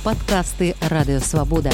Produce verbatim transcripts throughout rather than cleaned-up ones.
Падкасты Радыёвабода.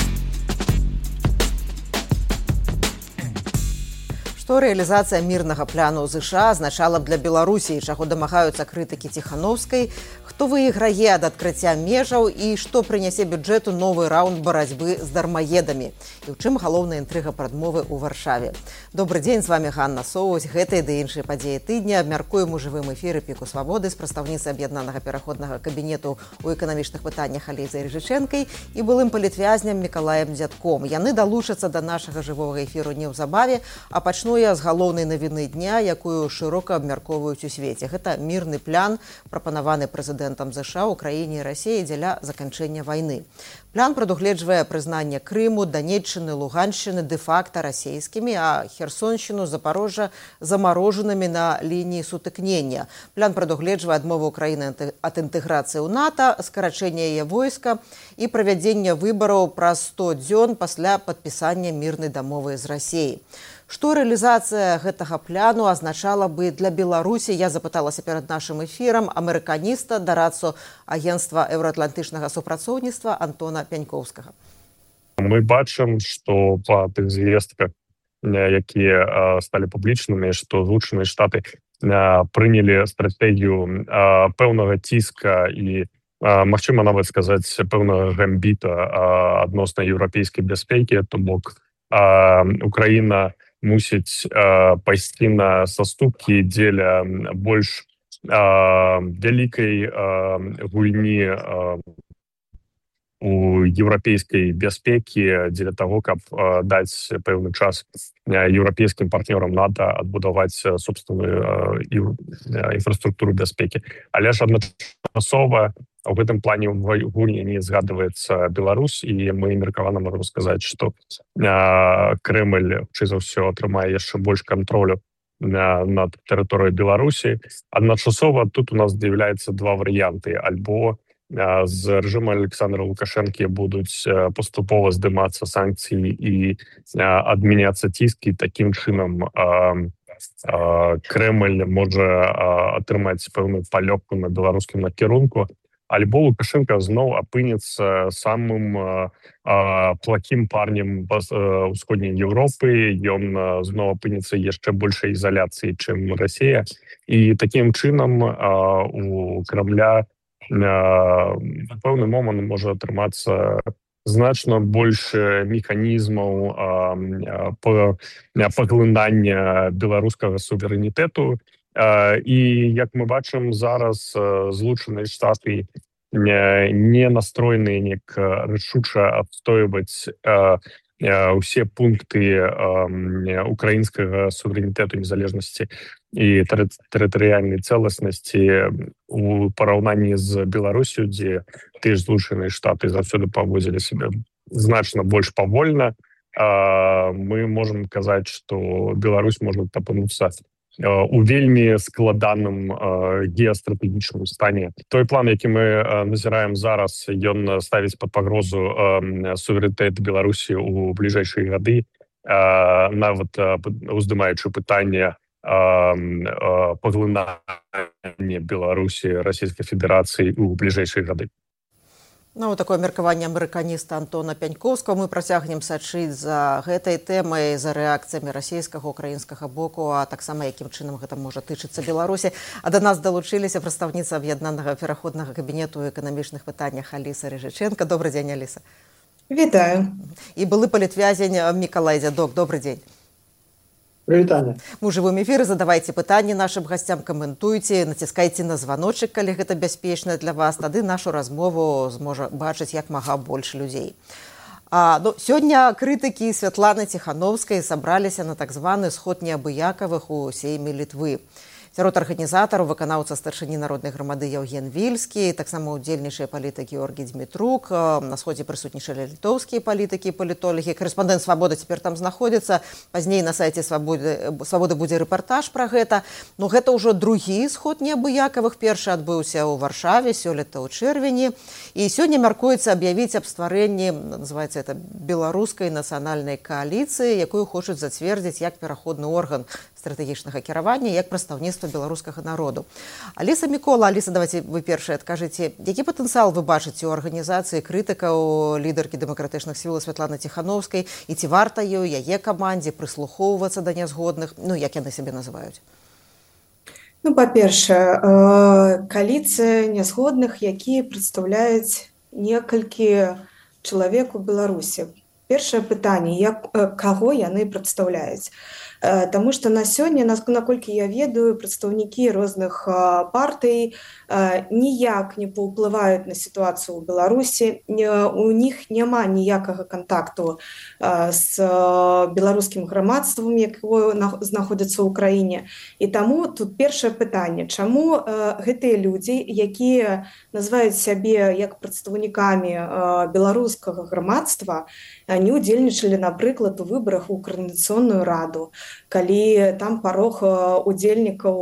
Што рэалізацыя мірнага пляну ЗША азначала б для Беларусі, чаго дамагаюцца крытыкі Ціхановскай, хто выйграе ад адкрыцця межаў і што прынясе бюджэту новы раунд барацьбы з дармаедамі. І ў чым галоўная інтрыга прадмовы ў Варшаве. Добры дзень, з вами Ганна Соусь. Гэтыя ды іншыя падзеі тыдня абмяркуем у жывым эфіры Піку Свабоды з прадстаўніцай аб'яднанага пераходнага кабінету ў эканамічных пытаннях Алізай Рыжычэнкай і былым палітвязням Мікалаем Дзядком. Яны далучацца да нашага жывога эфіру неўзабаве, а пачну я з галоўнай навіны дня, якую шырока абмяркоўваюць у свеце. Гэта мірны плян, прапанаваны прэзідэнтам ЗША ў краіне і Расіі дзеля заканчэння вайны. Плян прадугледжвае прызнанне Крыму, Данеччыны, Луганшчыны дэ-факта расійскімі, а Херсоншчыну, Запарожжа замарожанымі на лініі сутыкнення. Плян прадугледжвае адмову Украіны ад інтэграцыі ў НАТО, скарачэнне яе войска і правядзення выбараў праз сто дзён пасля падпісання мірнай дамовы з Расіяй. Што рэалізацыя гэтага пляну азначала бы для Беларусі, я запыталася перад нашым эфірам амерыканіста, дарадцу агенцтва еўраатлантычнага супрацоўніцтва Антона Пянькоўскага. Мы бачым, што па тых звестках, якія сталі публічнымі, што Злучаныя Штаты прынялі стратэгію пэўнага ціска і, магчыма, нават сказаць, пэўнага гамбіта адносна еўрапейскай бяспекі, то бок Украіна мусіць э, пайсці на саступкі дзеля больш э, вялікай э, гульні э, у еўрапейскай бяспекі, дзеля таго, каб э, даць пэўны час еўрапейскім партнёрам НАТО адбудаваць собственную э, інфраструктуру бяспекі. Але ж адначасова у гэтым плане ў гульні не згадваецца Беларусь, і мы меркавана можам сказаць, што Крэмль, хутчэй за ўсё, атрымае яшчэ больш кантролю над тэрыторыяй Беларусі. Адначасова тут у нас з'яўляецца два варыянты. Альбо з рэжыму Александра Лукашэнкі будуць паступова здымацца санкцыі і адмяняцца ціскі. Такім чынам Крэмль можа атрымаць пэўную палёгку на беларускім накірунку. Альбо Лукашенко зноў апынецца самым а, а, плохим парнем ўсходняй Еўропы, ён зноў апынецца яшчэ большай ізаляцыі, чым Расія. І такім чынам а, у Крамля а, в пэўны момант можа атрымацца значна больш механізмаў а, а, паглынання беларускага суверэнітэту. Uh, і, як мы бачым, зараз uh, Злучаныя Штаты не, не настроеныя неяк рашуча адстойваць uh, uh, усе пункты uh, украінскага суверэнітэту, незалежнасці і тэрытарыяльнай цэласнасці у параўнанні з Беларусю, дзе тыя ж Злучаныя Штаты заўсёды паводзілі сябе значна больш павольна. Uh, мы можам казаць, што Беларусь можа апынуцца у вельмі складаным э, геастратэгічным стане. Той план, які мы э, назіраем зараз, ён ставіць пад пагрозу э, суверэнітэт Беларусі ў бліжэйшыя гады, э, нават э, уздымаючы пытанне э, э, паглынання Беларусі Расійскай Федэрацыі ў бліжэйшыя гады. Ну, такое меркаванне амерыканіста Антона Пянькоўскага. Мы працягнем сачыць за гэтай тэмай, за рэакцыямі расійскага, украінскага боку, а таксама якім чынам гэта можа тычыцца Беларусі. А да нас далучыліся прадстаўніца аб'яднанага пераходнага кабінету ў эканамічных пытаннях Аліса Рыжычэнка. Добры дзень, Аліса. Вітаю. І былы палітвязень Мікалай Дзядок. Добры дзень. Прывітанне. Мы ў жывым эфіры, задавайце пытанні нашым гасцям, каментуйце, націскайце на званочак, калі гэта бяспечна для вас, тады нашу размову зможа бачыць як мага больш людзей. А, ну, сёння крытыкі Святланы Ціхановскай сабраліся на так званы сход неабыякавых у сейме Літвы. Сярод арганізатараў выканаўца старшыні народнай грамады Яўген Вільскі, таксама ўдзельнічае палітык Георгій Дзмітрук, на сходзе прысутнічалі літоўскія палітыкі і палітолагі. Карэспандэнт Свабода цяпер там знаходзіцца. Пазней на сайце Свабоды, Свабоды будзе рэпартаж пра гэта. Ну, гэта ўжо другі сход неабыякавых. Першы адбыўся ў Варшаве сёлета ў чэрвені. І сёння мяркуецца аб'явіць аб стварэнні, называецца это, беларускай нацыянальнай кааліцыі, якую хочуць зацвердзіць як пераходны орган стратэгічнага кіравання як прадстаўніцтва беларускага народу. Аліса Мікола, Аліса, давайте вы першыя адкажыце, які патэнцыял вы бачыце ў арганізацыі крытыкаў лідаркі дэмакратычных сіл Святланы Ціхановскай, і ці варта ёй, яе камандзе прыслухоўвацца да нязгодных, ну як яны сябе называюць? Ну, па-першае, кааліцыя нязгодных, якія прадстаўляюць некалькі чалавек у Беларусі. Першае пытанне, як, каго яны прадстаўляюць? Таму што на сёння, наколькі я ведаю, прадстаўнікі розных партый ніяк не паўплываюць на сітуацыю ў Беларусі. У них няма ніякага кантакту з беларускім грамадствам, якое знаходзіцца ў краіне. І таму тут першае пытанне, чаму гэтыя людзі, якія называюць сябе як прадстаўнікамі беларускага грамадства, не ўдзельнічалі, напрыклад, у выбарах у Коордынацыйную раду, калі там парог удзельнікаў,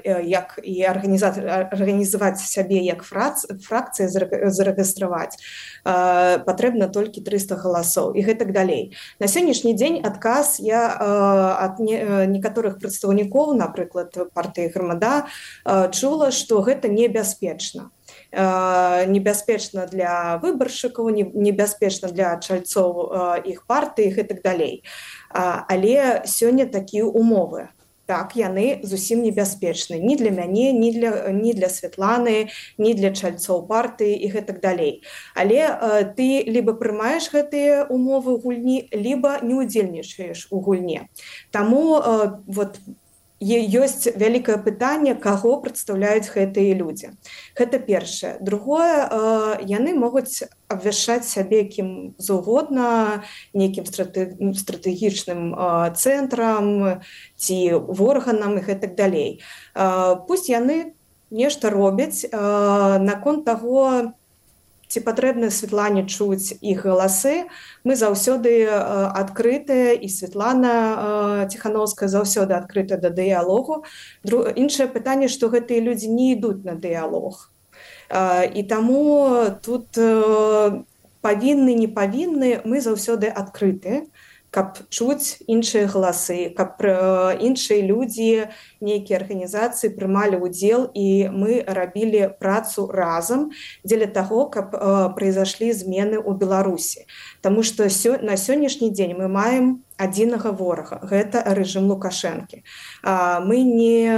як і арганізаваць сябе як фракцыя зарэгістраваць, патрэбна толькі трыста галасоў і гэтак далей. На сённяшні дзень адказ я ад некаторых прадстаўнікоў, напрыклад, партыі Грамада, чула, што гэта небяспечна. Небяспечна для выбаршчыкаў, небяспечна для чальцоў іх партыі і гэтак далей. Але сёння такія умовы. Так, яны зусім небяспечны. Ні для мяне, ні для, ні для Святланы, ні для чальцоў партыі і гэтак далей. Але ты либо прымаеш гэтыя умовы гульні, либо не ўдзельнічаеш у гульне. Таму вот ёсць вялікае пытанне, каго прадстаўляюць гэтыя людзі. Гэта першае. Другое, яны могуць абвяшчаць сябе кім заўгодна, нейкім стратэгічным цэнтрам ці органам і гэтак далей. Пусть яны нешта робяць наконт таго, ці патрэбна Святлане чуць іх галасы. Мы заўсёды адкрытыя, і Святлана Ціхановская заўсёды адкрытая да дыялогу. Іншае пытанне, што гэтыя людзі не ідуць на дыялог. І таму тут павінны, не павінны, мы заўсёды адкрытыя, каб чуць іншыя галасы, каб іншыя людзі, нейкія арганізацыі прымалі ўдзел, і мы рабілі працу разам дзеля таго, каб прайзашлі змены ў Беларусі. Таму што на сённяшні дзень мы маем адзінага ворага, гэта рэжым Лукашэнкі. Мы не,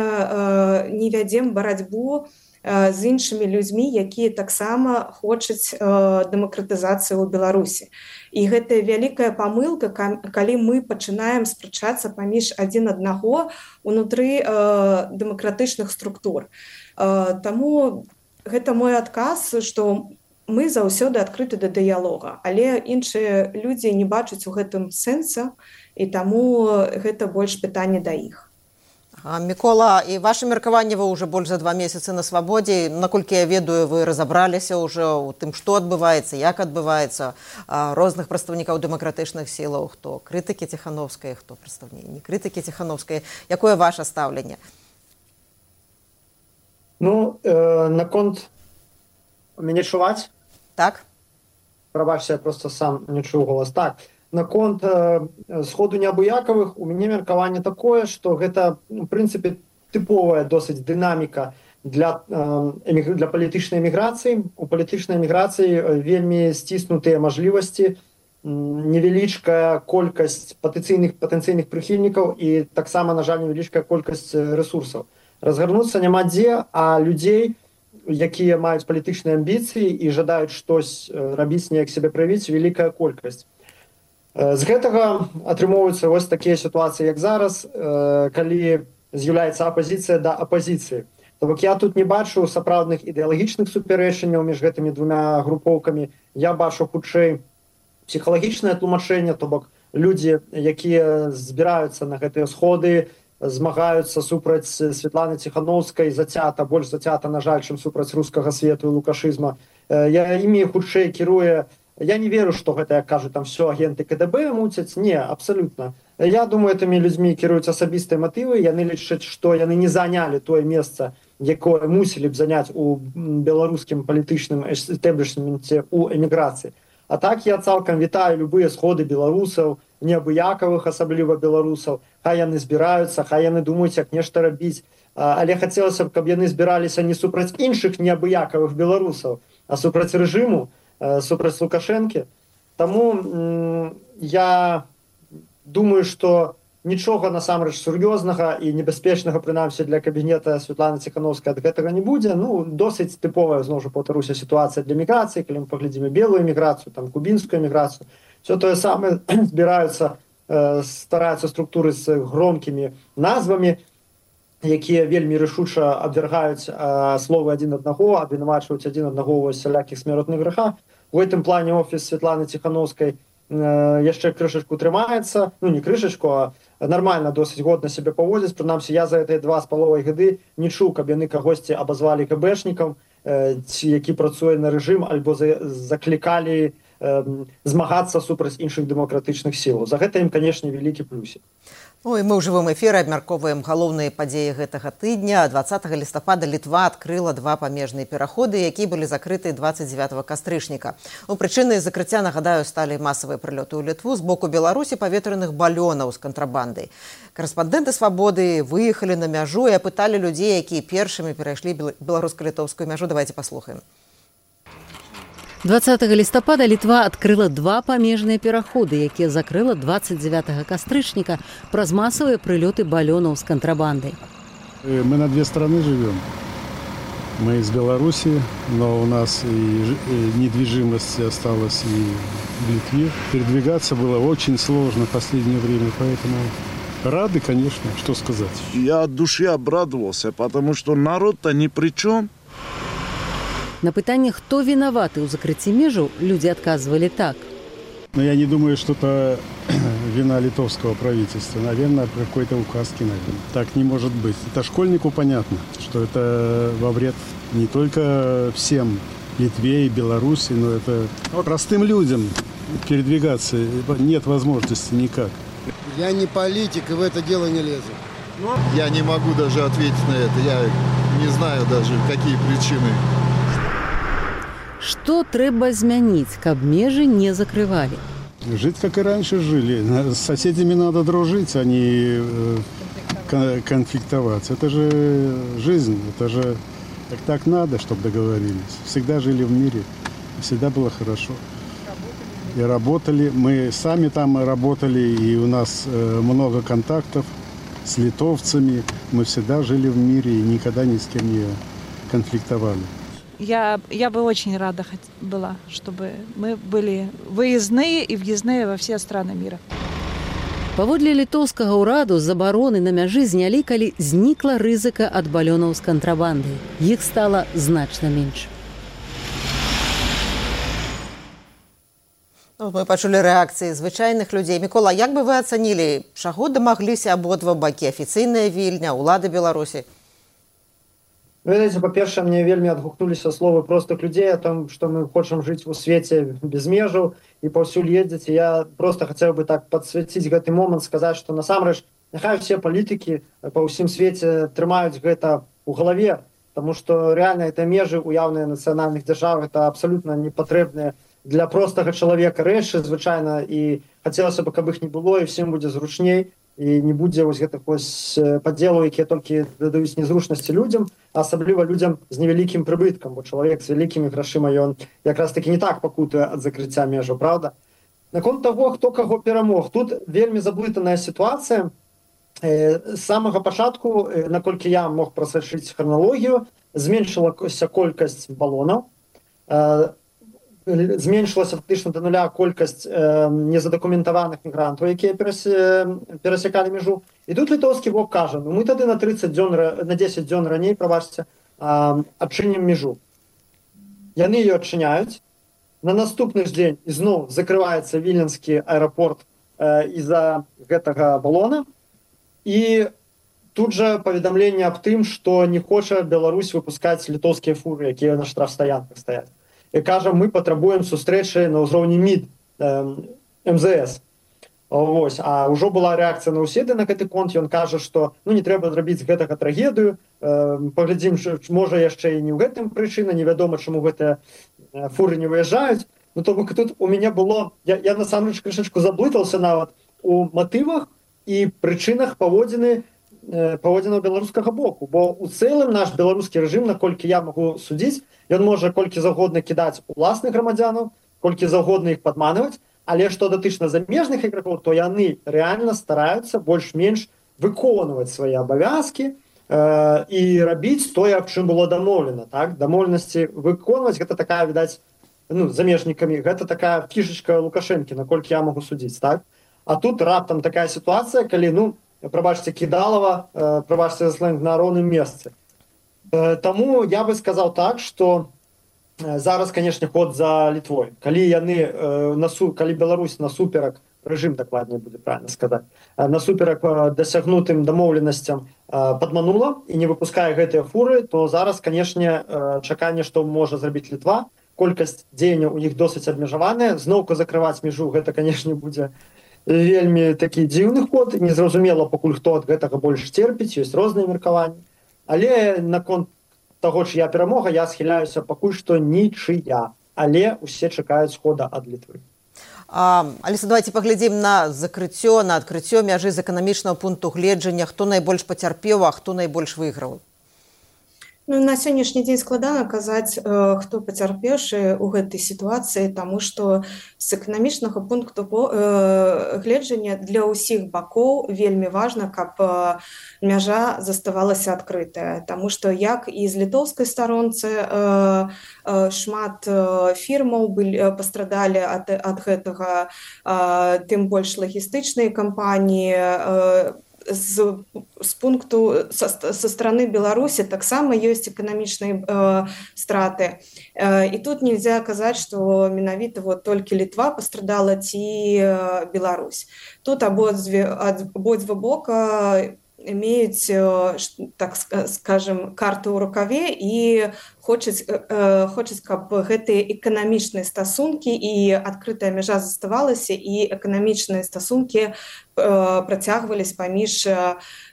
не вядзем барацьбу з іншымі людзьмі, якія таксама хочуць дэмакратызацыі ў Беларусі. І гэта вялікая памылка, калі мы пачынаем спрачацца паміж адзін аднаго ўнутры дэмакратычных структур. Таму гэта мой адказ, што мы заўсёды адкрыты да дыялога, але іншыя людзі не бачаць у гэтым сэнса, і таму гэта больш пытанне да іх. Мікола, і ваше меркаванне, вы ўжо больш за два месяцы на свабодзе. Наколькі я ведаю, вы разабраліся ўжо ў тым, што адбываецца, як адбываецца, розных прадстаўнікаў дэмакратычных сілаў, хто крытыкі Ціхановскай, хто прадстаўнікі не крытыкі Ціхановскай. Якое ваше стаўленне? Ну, э, наконт мяне чуваць? Так. Прабачце, я просто сам не чую голас. Так. Наконт э, сходу неабыякавых, у мяне меркаванне такое, што гэта, в прынцыпе, тыповая досыць дынаміка для, э, для палітычнай эміграцыі. У палітычнай эміграцыі вельмі сціснутыя мажлівасці, невялічкая колькасць патэнцыйных патэнцыйных прыхільнікаў і таксама, на жаль, невялічкая колькасць рэсурсаў. Разгарнуцца няма дзе, а людзей, якія маюць палітычныя амбіцыі і жадаюць штось рабіць, неяк сябе праявіць, вялікая колькасць. З гэтага атрымоўваюцца вось такія сітуацыі, як зараз, калі з'яўляецца апазіцыя да апазіцыі. То бок я тут не бачу сапраўдных ідэалагічных супярэчанняў між гэтымі двумя групоўкамі. Я бачу хутчэй псіхалагічнае тлумачэнне, то бок людзі, якія збіраюцца на гэтыя сходы, змагаюцца супраць Святланы Ціхановскай, зацята, больш зацята, на жаль, чым супраць рускага свету і лукашызма. Я імі хутчэй кіруе. Я не веру, што гэта, як кажу, там все агенты КДБ муцяць. Не, абсалютна. Я думаю, гэтымі людзьмі кіруюць асабістыя матывы. Яны лічаць, што яны не занялі тое месца, якое мусілі б заняць у беларускім палітычным эстэблішменце ў эміграцыі. А так я цалкам вітаю любыя сходы беларусаў, неабыякавых, асабліва беларусаў, хай яны збіраюцца, хай яны думаюць, як нешта рабіць. Але хацелася б, каб яны збіраліся не супраць іншых неабыякавых беларусаў, а супраць рэжыму, супраць Лукашэнкі. Таму я думаю, што нічога насамрэч сур'ёзнага і небяспечнага, прынамсі для кабінета Святланы Ціханаўскай ад гэтага не будзе. Ну, досыць тыповая, зноў жа паўтаруся, сітуацыя для міграцыі, калі мы паглядзім белую міграцыю, там кубінскую міграцыю. Все тое самае збіраюцца, стараюцца структуры з громкімі назвамі, якія вельмі рашуча абвяргаюць словы адзін аднаго, абвінавачваюць адзін аднаго ў усялякіх смяротных грэхах. У гэтым плане офіс Святланы Ціханаўскай яшчэ крышачку трымаецца, ну не крышачку, а нармальна досыць годна сябе паводзіць. Прынамсі, я за гэтыя два з паловай гады не чуў, каб яны кагосьці абазвалі КБшнікам, які працуе на рэжым, альбо заклікалі змагацца супраць іншых дэмакратычных сілаў. За гэта ім, канешне, вялікі плюсік. Ну, і мы ў жывым эфіры абмяркоўваем галоўныя падзеі гэтага тыдня. дваццатага лістапада Літва адкрыла два памежныя пераходы, якія былі закрыты дваццаць дзевятага кастрычніка. У прычынай закрыцця, нагадаю, сталі масавыя прылёты ў Літву з боку Беларусі паветраных балёнаў з кантрабандай. Карэспандэнты «Свабоды» выехалі на мяжу і апыталі людзей, якія першымі перайшлі беларуска-літоўскую мяжу. Давайте паслухаем. дваццатага лістапада Літва адкрыла два памежныя пераходы, якія закрыла дваццаць дзевятага кастрычніка праз масавыя прылёты балёнаў з кантрабандай. Мы на две страны живем. Мы из Беларуси, но у нас и недвижимость осталась и в Литве. Передвигаться было очень сложно в последнее время, поэтому рады, конечно, что сказать. Я от души обрадовался, потому что народ-то ни при чем. На пытанне, хто вінаваты ў закрыцці межаў, людзі адказвалі так. Но я не думаю, что это вина литовского правительства. Наверное, какой-то указки, наверное. Так не может быть. Это школьнику понятно, что это во вред не только всем, Литве и Беларуси, но это простым людям передвигаться нет возможности никак. Я не политик и в это дело не лезу. Я не могу даже ответить на это. Я не знаю даже, какие причины. Што трэба змяніць, каб межы не закрывалі? Жить, как и раньше жили. С соседями надо дружить, а не конфликтовать. Это же жизнь, это же так, так надо, чтобы договорились. Всегда жили в мире, всегда было хорошо. И работали, мы сами там работали, и у нас много контактов с литовцами. Мы всегда жили в мире и никогда ни с кем не конфликтовали. Я, я бы очень рада была, чтобы мы были выездные и въездные во все страны мира. Паводле літоўскага ўраду забароны на мяжы знялі, калі знікла рызыка ад балёнаў з кантрабандай. Іх стала значна менш. Ну, мы пачулі рэакцыі звычайных людзей. Мікола, як бы вы ацанілі, чаго дамагліся абодва бакі, афіцыйная Вільня, улады Беларусі? Ведаеце, па-першае, мне вельмі адгукнуліся словы простых людзей о том, што мы хочам жыць у свеце без межаў і паўсюль ездзіць. Я просто хацеў бы так падсвяціць гэты момант, сказаць, што насамрэч няхай усе палітыкі па ўсім свеце трымаюць гэта ў галаве, таму што рэальна гэта межы уяўныя нацыянальных дзяржаў, это абсалютна непатрэбныя для простага чалавека рэчы, звычайна, і хацелася бы, каб іх не было, і всім будзе зручней. І не будзе вось гэтых вось падзелаў, якія толькі дадаюць незручнасці людзям, а асабліва людзям з невялікім прыбыткам, бо чалавек з вялікімі грашыма, ён якраз такі не так пакутуе ад закрыцця межаў, правда? Наконт таго, хто каго перамог, тут вельмі заблытаная сітуацыя. З самага пачатку, наколькі я мог прасачыць храналогію, зменшылася колькасць балонаў, зменшылася фактычна да нуля колькасць э, незадакументаваных мігрантаў, якія перасякалі мяжу. І тут літоўскі бок кажа, ну мы тады на тридцать дзён, на десять дзён раней, прабачце, э, адчынім мяжу. Яны ее адчыняюць. На наступны ж дзень ізноў закрываецца віленскі аэрапорт э, з-за гэтага балона. І тут жа паведамленне аб тым, што не хоча Беларусь выпускаць літоўскія фуры, якія на штрафстаянках стаяць. І кажа, мы патрабуем сустрэчы на ўзроўні МІД, эм зэ эс. Ось. А ўжо была рэакцыя на ўседы на гэты конт. Ён кажа, што ну, не трэба зрабіць гэтага трагедыю. Паглядзім, можа яшчэ і не ў гэтым прычына, невядома, чаму гэтыя фуры не выязджаюць. Ну, то бок тут у меня было... Я, я насамрэч крышачку заблытался нават у матывах і прычынах паводзіны э, паводзінаў беларускага боку. Бо у цэлым наш беларускі рэжым, наколькі я магу судзіць, ён можа колькі заўгодна кідаць уласных грамадзянаў, колькі заўгодна іх падманваць, але што датычна замежных ігракоў, то яны рэальна стараюцца больш-менш выконваць свае абавязкі э, і рабіць тое, аб чым было дамоўлена. Так? Дамоўленасці выконваць, гэта такая, відаць, ну, замежнікамі, гэта такая фішачка Лукашэнкі, наколькі я магу судзіць, так? А тут раптам такая сітуацыя, калі, ну, прабачце, кідалава, э, прабачце за сленг, на роўным месцы. Э, таму я бы сказаў так, што э, зараз, канешне, ход за Літвой. Калі яны, э, насу, калі Беларусь насуперак, рэжым дакладней будзе правильно сказаць, э, насуперак э, дасягнутым дамоўленасцям э, падманула і не выпускае гэтыя фуры, то зараз, канешне, э, чаканне, што можа зрабіць Літва, колькасць дзеянняў у іх досыць абмежаваная, зноўку закрываць мяжу, гэта, канешне, будзе вельмі такі дзіўны ход, незразумела, пакуль хто ад гэтага больш терпіць, ёсць розныя меркаванні. Але наконт таго, чыя перамога, я схіляюся пакуль што нічыя, але усе чакаюць хода ад Літвы. А, Аліса, давайте паглядзім на закрыццё, на адкрыццё мяжы з эканамічнага пункту гледжання, хто найбольш пацярпеў, а хто найбольш выйграў. Ну, на сённяшні дзень складана казаць, э, хто пацярпеўшы ў гэтай сітуацыі, таму што з эканамічнага пункту э, гледжання для ўсіх бакоў вельмі важна, каб э, мяжа заставалася адкрытая. Таму што як і з літоўскай старонцы э, э, шмат э, фірмаў былі, э, пастрадалі ад, ад гэтага, э, тым больш лагістычныя кампаніі, э, З, з пункту са, са стороны Беларусі таксама ёсць эканамічныя э, страты. Э, і тут нельзя казаць, што менавіта вот толькі Літва пастрадала ці э, Беларусь. Тут абодзве, абодва бока имеюць, так скажем, карту ў рукаве і хочуць, хочуць, каб гэтыя эканамічныя стасункі і адкрытая мяжа заставалася, і эканамічныя стасункі працягваліся паміж,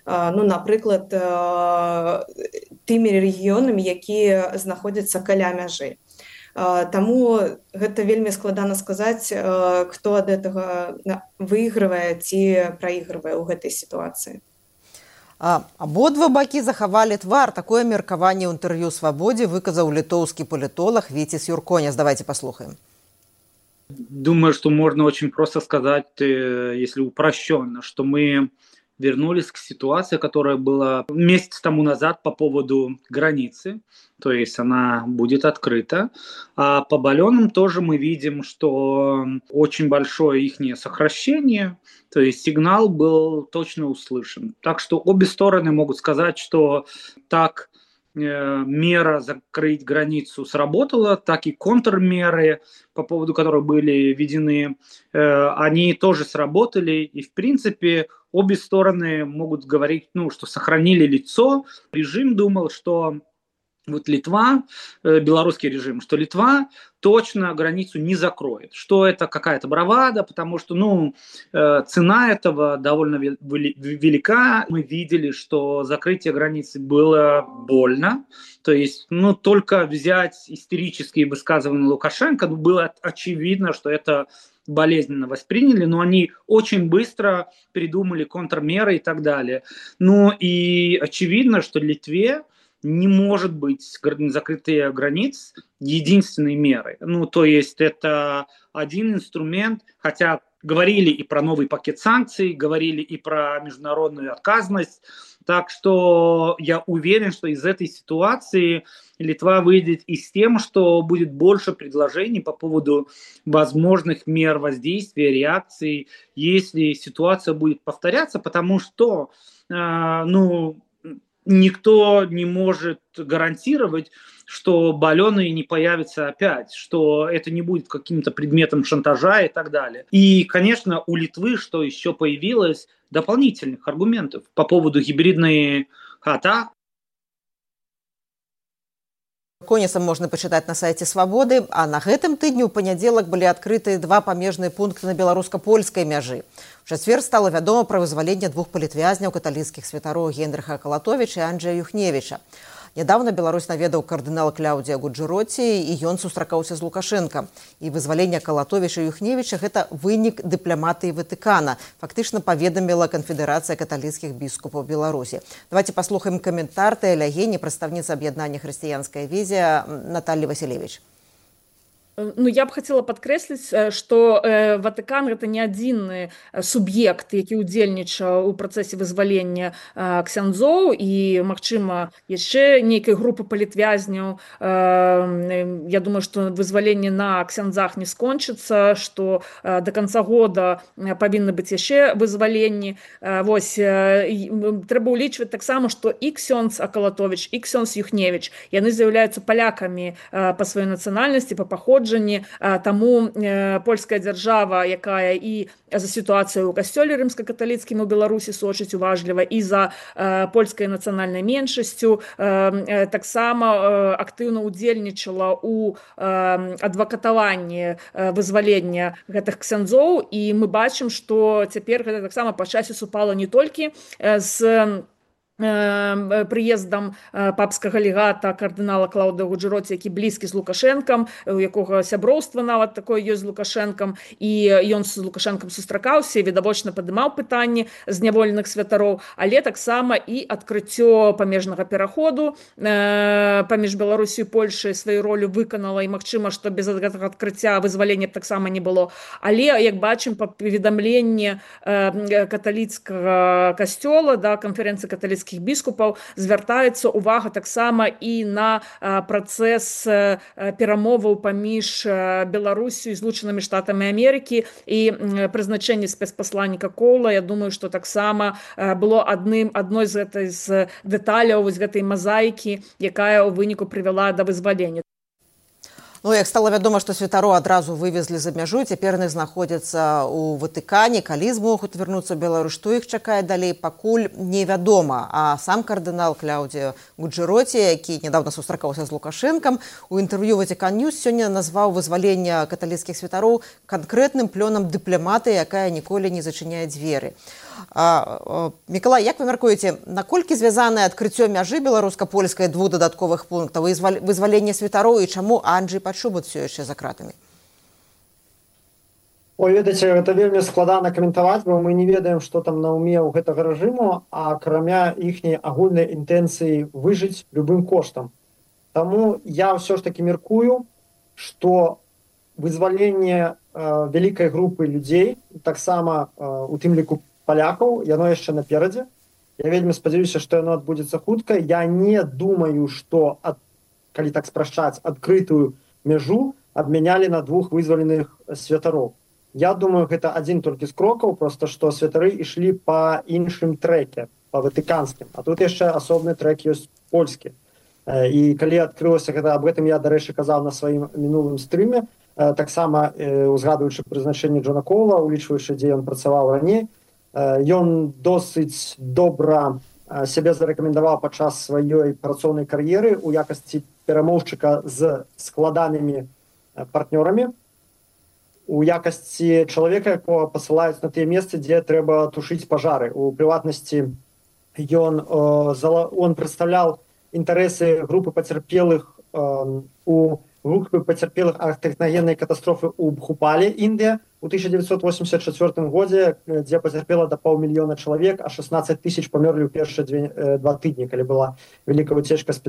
ну, напрыклад, тымі рэгіёнамі, якія знаходзяцца каля мяжы. Таму гэта вельмі складана сказаць, хто ад гэтага выйгрывае ці праігрывае ў гэтай сітуацыі. А, абодва бакі захавалі твар. Такое меркаванне ў інтэрв'ю «Свабодзе» выказаў літоўскі палітолог Віціс Юрконяс. Давайте послухаем. Думаю, что можно очень просто сказать, если упрощенно, что мы вернулись к ситуации, которая была месяц тому назад по поводу границы, то есть она будет открыта. А по баллонам тоже мы видим, что очень большое их сокращение, то есть сигнал был точно услышан. Так что обе стороны могут сказать, что так э, мера закрыть границу сработала, так и контрмеры, по поводу которых были введены, э, они тоже сработали. И в принципе обе стороны могут говорить, ну, что сохранили лицо. Режим думал, что вот Литва, э, белорусский режим, что Литва точно границу не закроет, что это какая-то бравада, потому что, ну, э, цена этого довольно велика. Мы видели, что закрытие границы было больно, то есть, ну, только взять истерические высказывания Лукашенко, ну, было очевидно, что это болезненно восприняли, но они очень быстро придумали контрмеры и так далее. Ну и очевидно, что Литве не может быть закрытие границ единственной мерой. Ну, то есть это один инструмент, хотя говорили и про новый пакет санкций, говорили и про международную отказность. Так что я уверен, что из этой ситуации Литва выйдет и с тем, что будет больше предложений по поводу возможных мер воздействия, реакций, если ситуация будет повторяться, потому что, э, ну, никто не может гарантировать, что баллоны не появятся опять, что это не будет каким-то предметом шантажа и так далее. И, конечно, у Литвы, что еще появилось, дополнительных аргументов по поводу гибридной атак. Конісам можна пачытаць на сайце «Свабоды», а на гэтым тыдні ў панядзелак былі адкрыты два памежныя пункты на беларуска-польскай мяжы. У чацвер стала вядома пра вызваленне двух палітвязняў каталіцкіх святароў Генрыха Калатовіча і Анджэя Юхневіча. Нядаўна Беларусь наведаў кардынал Кляудзія Гуджэроці, і ён сустракаўся з Лукашенко. І вызваленне Калатовіча і Юхневіча – гэта вынік дыпламатыі Ватыкана. Фактычна паведаміла Канфедэрацыя каталіцкіх біскупаў Беларусі. Давайте паслухаем каментар Тэля Гені, прадстаўніца аб'яднання «Хрысціянская візія» Натальи Василевич. Ну, я б хотела подкрэсліць, што э, Ватыкан гэта не адзіны суб'ект, які ўдзельнічаў у працэсе вызвалення э, ксяндзоў, і, магчыма, яшчэ нейкай групы палітвязняў. Э, я думаю, што вызваленне на ксяндзах не скончыцца, што э, до конца года павінны быць яшчэ вызваленні. Э, вось, э, трэба ўлічваць таксама, што і ксёндз Акалатовіч, і ксёндз Юхневіч, яны з'яўляюцца палякамі э, па сваёй нацыянальнасці, па паходжанні. Таму польская дзяржава, якая і за сітуацыю ў касцёле рымска-каталіцкім у Беларусі сочыць уважліва, і за польскай нацыянальнай меншасцю, таксама актыўна ўдзельнічала ў адвакатаванні вызвалення гэтых ксяндзоў, і мы бачым, што цяпер гэта таксама па часе супала не толькі з прыездам папскага легата кардынала Клаўдыя Гуджэроці, які блізкі з Лукашэнкам, у якога сяброўства нават такое ёсць з Лукашэнкам, і ён з Лукашэнкам сустракаўся і відавочна падымаў пытанні зняволеных святароў, але таксама і адкрыццё памежнага пераходу паміж Беларусю і Польшай сваю ролю выканала, і магчыма, што без гэтага адкрыцця вызвалення таксама не было. Але, як бачым, па паведамленні каталіцкага касцёла, да, канферэнцыі каталіцкіх біскупаў, звяртаецца увага таксама і на працэс перамоваў паміж Беларусю і Злучанымі Штатамі Амерыкі, і прызначэнне спецпасланніка Коула, я думаю, што таксама было адным адной з гэтай з дэталяў вось гэтай мазаікі, якая ў выніку прывяла да вызвалення. Ну, як стала вядома, што святароў адразу вывезлі за мяжу, цяпер яны знаходзяцца ў Ватыкане, калі змогуць вярнуцца ў Беларусь, што іх чакае далей, пакуль невядома. А сам кардынал Кляудзія Гуджэроці, які нядаўна сустракаўся з Лукашэнкам, у інтэрв'ю Ватыкан Ньюс сёння назваў вызваленне каталіцкіх святароў канкрэтным плёнам дыпламатыі, якая ніколі не зачыняе дзверы. А, Мікалай, як вы мяркуеце, наколькі звязанае адкрыццё мяжы беларуска-польскай двух дадатковых пунктаў і вызваленне святароў, і чаму Анджэй Падшубут все яшчэ за кратамі? Ой, ведаеце, гэта вельмі складана каментаваць, бо мы не ведаем, што там на ўме ў гэтага рэжыму, а акрамя іхняй агульнай інтэнцыі выжыць любым коштам. Таму я ўсё ж такі мяркую, што вызваленне э, вялікай групы людзей, таксама э, у тым ліку палякаў, яно яшчэ наперадзе. Я вельмі спадзяюся, што яно адбудзецца хутка. Я не думаю, што, ад, калі так спрашчаць, адкрытую мяжу абмянялі на двух вызваленых святароў. Я думаю, гэта адзін толькі з крокаў, проста што святары ішлі па іншым трэке, па ватыканскім. А тут яшчэ асобны трэк ёсць польскі. І калі адкрылася гэта, аб гэтым я, дарэчы, казаў на сваім мінулым стрыме, таксама узгадваючы прызначэнне Джона Коула, улічваючы, дзе ён працаваў раней, ён досыць добра сябе зарэкамендаваў падчас сваёй працоўнай кар'еры у якасці перамоўшчыка з складанымі партнёрамі, у якасці чалавека, якога пасылаюць на тыя месцы, дзе трэба тушыць пажары. У прыватнасці ён, он прадстаўляў інтарэсы групы пацярпелых у групы пацярпелых ад тэхнагеннай катастрофы ў Бхупале, Індыя, у тысяча девятьсот восемьдесят четвёртым годзе, дзе пацярпела да паўмільёна чалавек, а шестнадцать тысяч памерлі ў першыя две, два тыдні, калі была вялікая уцечка з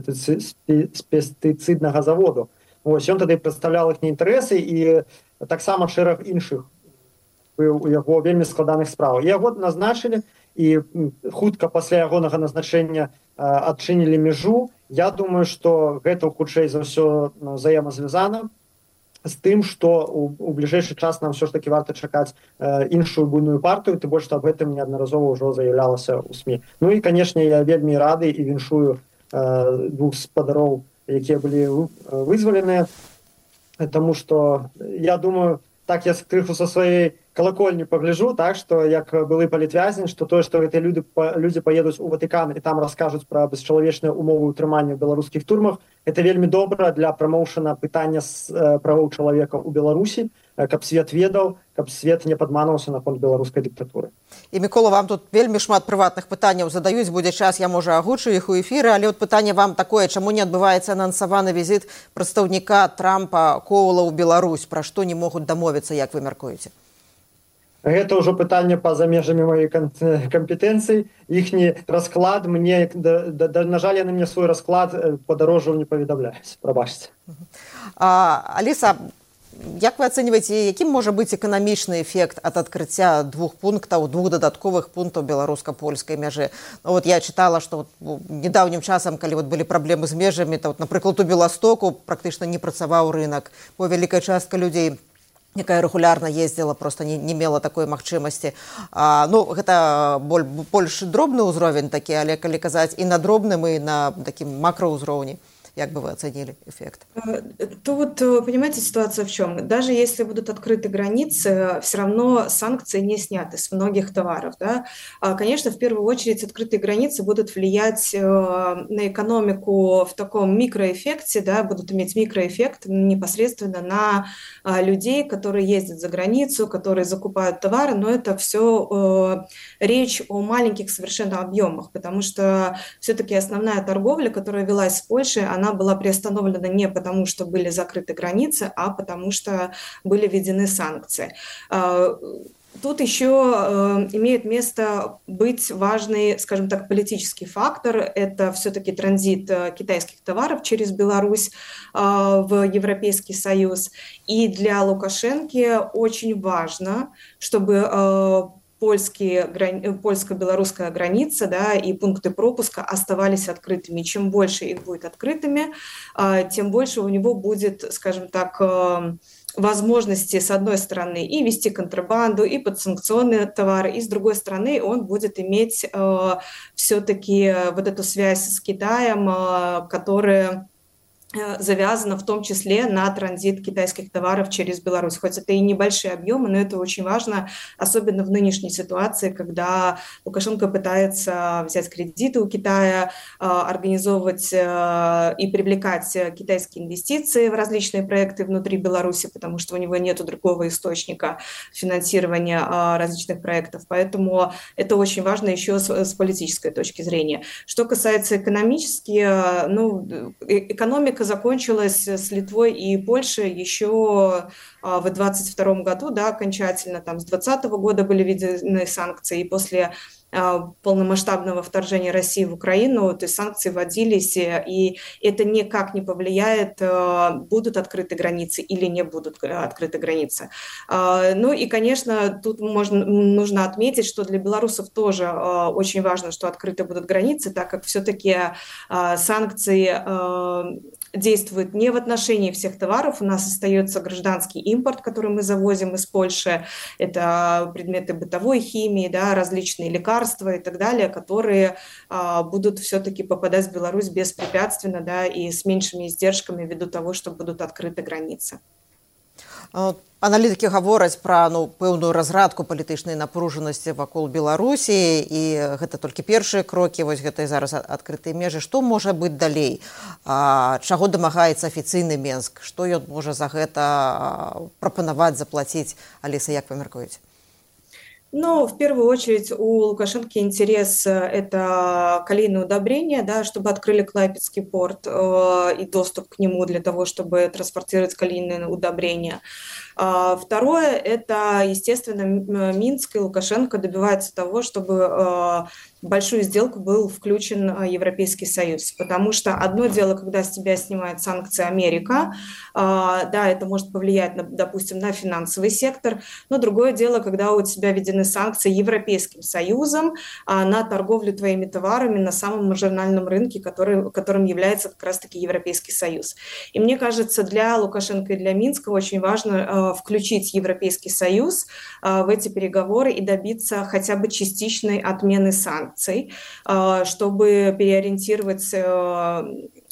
пестыцыднага заводу. Ось, ён тады прадстаўляў іхнія інтарэсы, і таксама шэраг іншых у яго вельмі складаных справ. Яго назначылі, і хутка пасля ягонага назначэння адчынілі мяжу. Я думаю, што гэта хутчэй за ўсё взаемазвязана з тым, што у бліжэйшы час нам ўсё ж такі варта чакаць іншую буйную партыю, тым больш, што аб гэтым неаднаразова ўжо заявлялася ў СМІ. Ну і, канешне, я вельмі рады і віншую двух спадароў, якія былі вызваленыя, таму што, я думаю, так я крыху са сваёй колокольни погляжу, так, что як былы палітвязень, что тое, што гэтыя люди, люди поедуць у Ватыкан і там раскажуць пра бесчалавечныя умовы ўтрымання ў беларускіх турмах, это вельмі добра для прамоушана пытання з правоў чалавека ў Беларусі, каб свет ведаў, каб свет не падманваўся наконт беларускай дыктатуры. І, Мікола, вам тут вельмі шмат прыватных пытанняў задаюць, будзе час, я, можа, агучу іх у эфіры, але от пытанне вам такое, чаму не адбываецца анансаваны візіт прадстаўніка Трампа Коула ў Беларусь, пра што не могуць дамовіцца, як вы мяркуеце? Гэта ўжо пытанне па-за межамі маёй кампетэнцыі. Іхні расклад мне, да, да, на жаль, яны мне свой расклад падарожжаў не паведамляюць. Прабачце. Аліса, як вы ацэньваеце, якім можа быць эканамічны эфект ад адкрыцця двух пунктаў, двух дадатковых пунктаў беларуска-польскай мяжы? Ну, вот я чытала, што вот, недаўнім часам, калі вот былі праблемы з межамі, то, вот, напрыклад, у Беластоку практычна не працаваў рынак, бо вялікая частка людзей, якая рэгулярна ездзіла, просто не, не мела такой магчымасці. А, ну, гэта боль, больш дробны ўзровень такі, але калі казаць і на дробным, і на такім макраўзроўні. Як бы вы оценили эффект? Тут, понимаете, ситуация в чем? Даже если будут открыты границы, все равно санкции не сняты с многих товаров. Да? Конечно, в первую очередь открытые границы будут влиять на экономику в таком микроэффекте, да, будут иметь микроэффект непосредственно на людей, которые ездят за границу, которые закупают товары, но это все речь о маленьких совершенно объемах, потому что все-таки основная торговля, которая велась с Польшей, она была приостановлена не потому, что были закрыты границы, а потому что были введены санкции. Тут еще э, имеет место быть важный, скажем так, политический фактор. Это все-таки транзит э, китайских товаров через Беларусь э, в Европейский Союз. И для Лукашенко очень важно, чтобы э, польские, польско-белорусская граница, да, и пункты пропуска оставались открытыми. Чем больше их будет открытыми, тем больше у него будет, скажем так, возможности, с одной стороны, и вести контрабанду, и подсанкционные товары, и с другой стороны он будет иметь все-таки вот эту связь с Китаем, которая завязано в том числе на транзит китайских товаров через Беларусь. Хоть это и небольшие объемы, но это очень важно, особенно в нынешней ситуации, когда Лукашенко пытается взять кредиты у Китая, организовывать и привлекать китайские инвестиции в различные проекты внутри Беларуси, потому что у него нет другого источника финансирования различных проектов. Поэтому это очень важно еще с политической точки зрения. Что касается экономически, ну, экономика закончилась с Литвой и Польшей еще в двадцать втором году, да, окончательно, там с двадцатого года были введены санкции, и после полномасштабного вторжения России в Украину, то есть санкции вводились, и это никак не повлияет, будут открыты границы или не будут открыты границы. Ну и, конечно, тут можно, нужно отметить, что для белорусов тоже очень важно, что открыты будут границы, так как все-таки санкции действуют не в отношении всех товаров. У нас остается гражданский импорт, который мы завозим из Польши. Это предметы бытовой химии, да, различные лекарства и так далее, которые а, будут все-таки попадать в Беларусь беспрепятственно, да, и с меньшими издержками ввиду того, что будут открыты границы. Аналітыкі гавораць пра, ну, пэўную разрадку палітычнай напружанасці вакол Беларусі, і гэта толькі першыя крокі, вось гэта і зараз адкрытыя межы. Што можа быць далей? А, чаго дамагаецца афіцыйны Менск? Што ён можа за гэта прапанаваць, заплаціць? Аліса, як вы мяркуеце? Ну, в первую очередь у Лукашенко интерес – это колейное удобрение, да, чтобы открыли Клайпедский порт э, и доступ к нему для того, чтобы транспортировать колейные удобрения. А второе – это, естественно, Минск и Лукашенко добиваются того, чтобы э, в большую сделку был включен Европейский Союз. Потому что одно дело, когда с тебя снимает санкции Америка, э, да, это может повлиять, на, допустим, на финансовый сектор, но другое дело, когда у тебя введены санкции Европейским Союзом а, на торговлю твоими товарами на самом маржинальном рынке, который, которым является как раз-таки Европейский Союз. И мне кажется, для Лукашенко и для Минска очень важно а, включить Европейский Союз а, в эти переговоры и добиться хотя бы частичной отмены санкций, а, чтобы переориентировать а,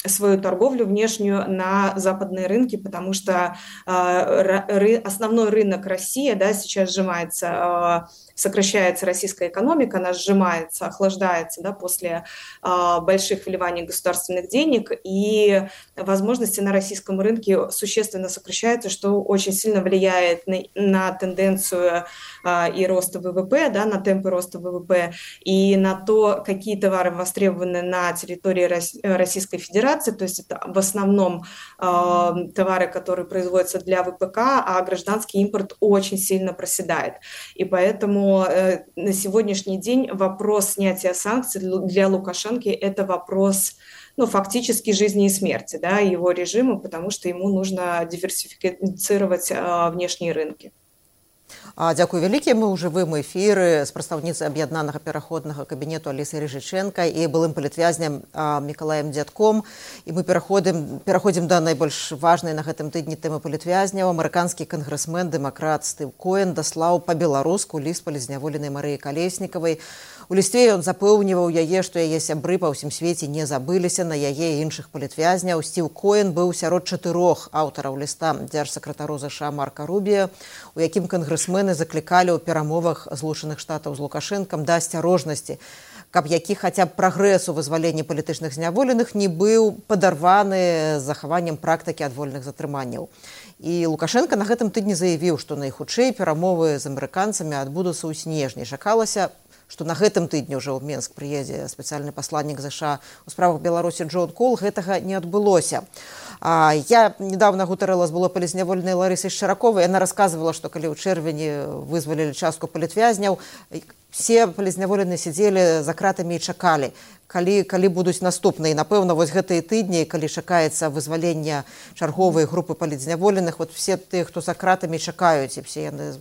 свою торговлю внешнюю на западные рынки, потому что э, основной рынок России, да, сейчас сжимается, э, сокращается российская экономика, она сжимается, охлаждается, да, после э, больших вливаний государственных денег, и возможности на российском рынке существенно сокращаются, что очень сильно влияет на, на тенденцию э, и роста ВВП, да, на темпы роста ВВП, и на то, какие товары востребованы на территории Российской Федерации, то есть это в основном э, товары, которые производятся для ВПК, а гражданский импорт очень сильно проседает. И поэтому э, на сегодняшний день вопрос снятия санкций для Лукашенко – это вопрос, ну, фактически жизни и смерти, да, его режима, потому что ему нужно диверсифицировать э, внешние рынки. Дзякуй вялікі. Мы ў жывым эфіры з прадстаўніцай аб'яднанага пераходнага кабінету Алісай Рыжычэнка і былым палітвязням Мікалаем Дзядком. І мы пераходзім пераходзім да найбольш важнай на гэтым тыдні тэмы палітвязняў. Амерыканскі кангрэсмен, дэмакрат Стыў Коэн даслаў па-беларуску ліст палізняволенай Марыі Калеснікавай. У лісце ён запэўніваў яе, што яе сябры па ўсім свеце не забыліся на яе і іншых палітвязняў. Стыў Коэн быў сярод чатырох аўтараў ліста дзяржсакратару ЗША Марка Рубія, у якім кангрэсмены заклікалі ў перамовах Злучаных Штатаў з Лукашэнкам да асцярожнасці, каб які хаця б прагрэс у вызваленні палітычных зняволеных не быў падарваны захаваннем практыкі адвольных затрыманняў. І Лукашенко на гэтым тыдні заявіў, што найхутчэй перамовы з амерыканцамі адбудуцца ў снежні. Чакалася, што на гэтым тыдні ўжо ў Менск прыедзе спецыяльны пасланнік ЗША у справах Беларусі Джон Кол. Гэтага не адбылося. А, я недавно гутарыла з было палізняволенай Ларысай Шчараковай. Яна расказвала, што калі ў чэрвені вызвалілі частку палітвязняў, все палізняволеныя сядзелі за кратамі і чакалі, калі, калі будуць наступныя. І, напэўна, вось гэтыя тыдні, калі чакаецца вызвалення чарговай групы палітзняволеных, вот все тыя, хто за кратамі чакаюць, і все яны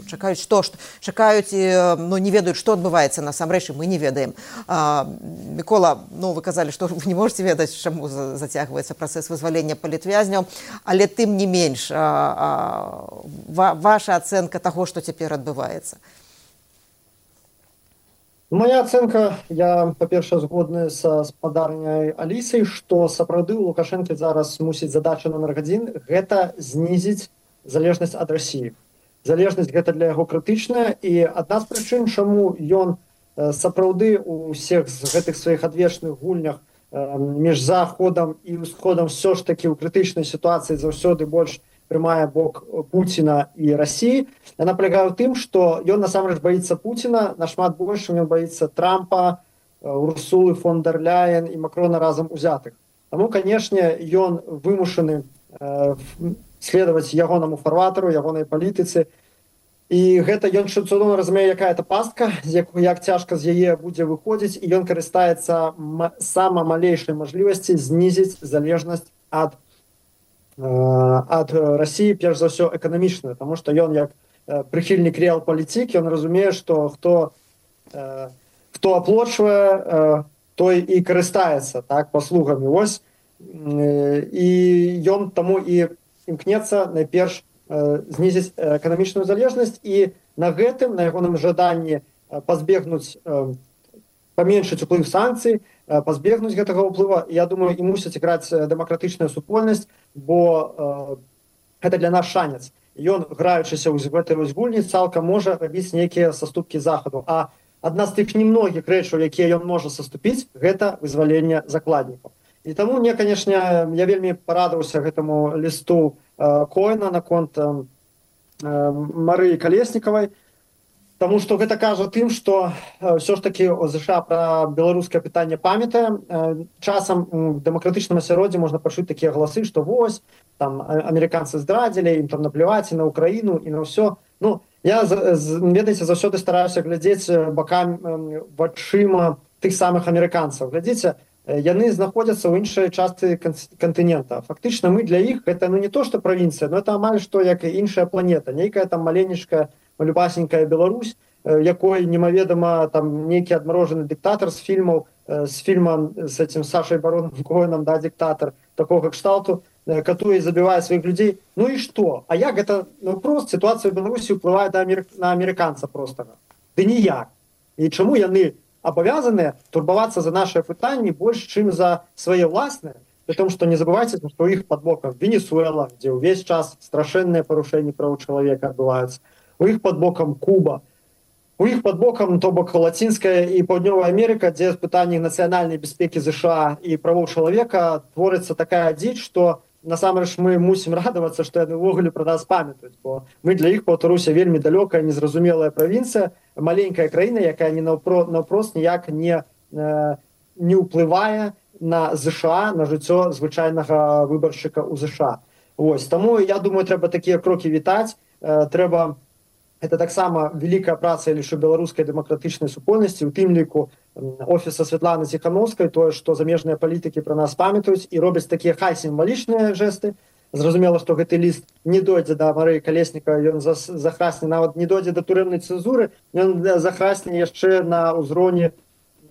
чакаюць, што, што чакаюць, ну, не ведаюць, што адбываецца насамрэч, і мы не ведаем. А, Мікола, ну, вы казалі, што вы не можете ведаць, чаму зацягваецца працэс вызвалення палітвязняў, але тым не менш, а, а, ва, ваша ацэнка таго, што цяпер адбываецца. Моя ацэнка, я, па-першае, згодны са спадарняй Алісай, што сапраўды у Лукашэнкі зараз мусіць задача номер адзін – гэта знізіць залежнасць ад Расіі. Залежнасць гэта для яго крытычная, і адна з прычын, чаму ён сапраўды у ўсіх з гэтых сваіх адвечных гульнях між Заходам і Усходам все ж такі ў крытычнай сітуацыі заўсёды больш прымае бок Пуціна і Расіі. Яна палягае ў тым, што ён насамрэч баіцца Пуціна нашмат больш, чым ён баіцца Трампа, Урсулы фон дер Ляйен і Макрона разам узятых. Таму, канешне, ён вымушаны следаваць ягонаму фарватару, ягонай палітыцы. І гэта ён цудоўна разумее, якая это пастка, як, як цяжка з яе будзе выходзіць, і ён карыстаецца сама малейшай мажлівасці знізіць залежнасць ад, э, ад Расіі, перш за ўсё эканамічную, таму што ён як э, прыхільнік рэал-палітык, ён разумее, што хто, э, хто аплочвае, э, той і карыстаецца, так, паслугамі. Вось, э, і ён таму і імкнецца найперш э, знізіць эканамічную залежнасць, і на гэтым, на ягоным жаданні э, пазбегнуць, э, паменшыць уплыў санкцый, э, пазбегнуць гэтага ўплыва, я думаю, і мусіць іграць дэмакратычная супольнасць, бо э, гэта для нас шанец. Ён, граючыся ў гэтай вось гульні, цалкам можа рабіць нейкія саступкі захаду. А адна з тых немногіх рэчаў, якія ён можа саступіць, гэта вызваленне закладнікаў. І таму мне, канешне, я вельмі парадаваўся гэтаму лісту э, Коэна наконт э, Марыі Калеснікавай, таму што гэта кажа тым, што э, ўсё ж такі ЗША пра беларускае пытанне памятае. Э, часам у дэмакратычным асяроддзі можна пачуць такія галасы, што вось, там амерыканцы здрадзілі, ім там напляваць і на Украіну, і на ўсё. Ну, я, ведаеце, заўсёды стараюся глядзець бакам э, вачыма тых самых амерыканцаў. Глядзіце, яны знаходзяцца ў іншай частцы кантынента. Фактычна мы для іх гэта, ну, не то што правінцыя, но это амаль што як і іншая планета, нейкая там маленечкая, малюпасенькая Беларусь, якой немаведама там нейкі адмарожаны дыктатар з фільмаў, з фільма з этим Сашай Бароном Коэном, да, диктатор такого кшталту, катуе і забівае сваіх людзей. Ну і што? А як гэта, ну, просто сітуацыя ў Беларусі ўплывае на амерыканца простага? Ды ніяк. І чаму яны абавязаныя турбавацца за нашыя пытанні больш, чым за свае ўласныя, При том, что не забывайте, что у их под боком Венесуэла, где весь час страшенные порушения прав человека отбываются. У их под боком Куба. У их под боком, то бок Латинская и Паўднёвая Америка, где в пытании национальной безопасности США и правов человека творится такая дичь, что насамрэч мы мусім радавацца, што яны ўвогуле пра нас памятаюць, бо мы для іх Беларусь вельмі далёкая, незразумелая правінцыя, маленькая краіна, якая не наўпрост ніяк не, не ўплывае на ЗША, на жыццё звычайнага выбаршчыка ў ЗША. Вось, таму я думаю, трэба такія крокі вітаць, трэба это таксама вялікая праца лишь у беларускай дэмакратычнай супольнасці, у тым ліку офіса Святланы Ціхановскай, тое, што замежныя палітыкі пра нас памятаюць і робяць такія хай сімвалічныя жэсты. Зразумела, што гэты ліст не дойдзе да Марыі Калесніка, ён захрасне, нават не дойдзе да турэмнай цэнзуры, ён захрасне яшчэ на ўзроўні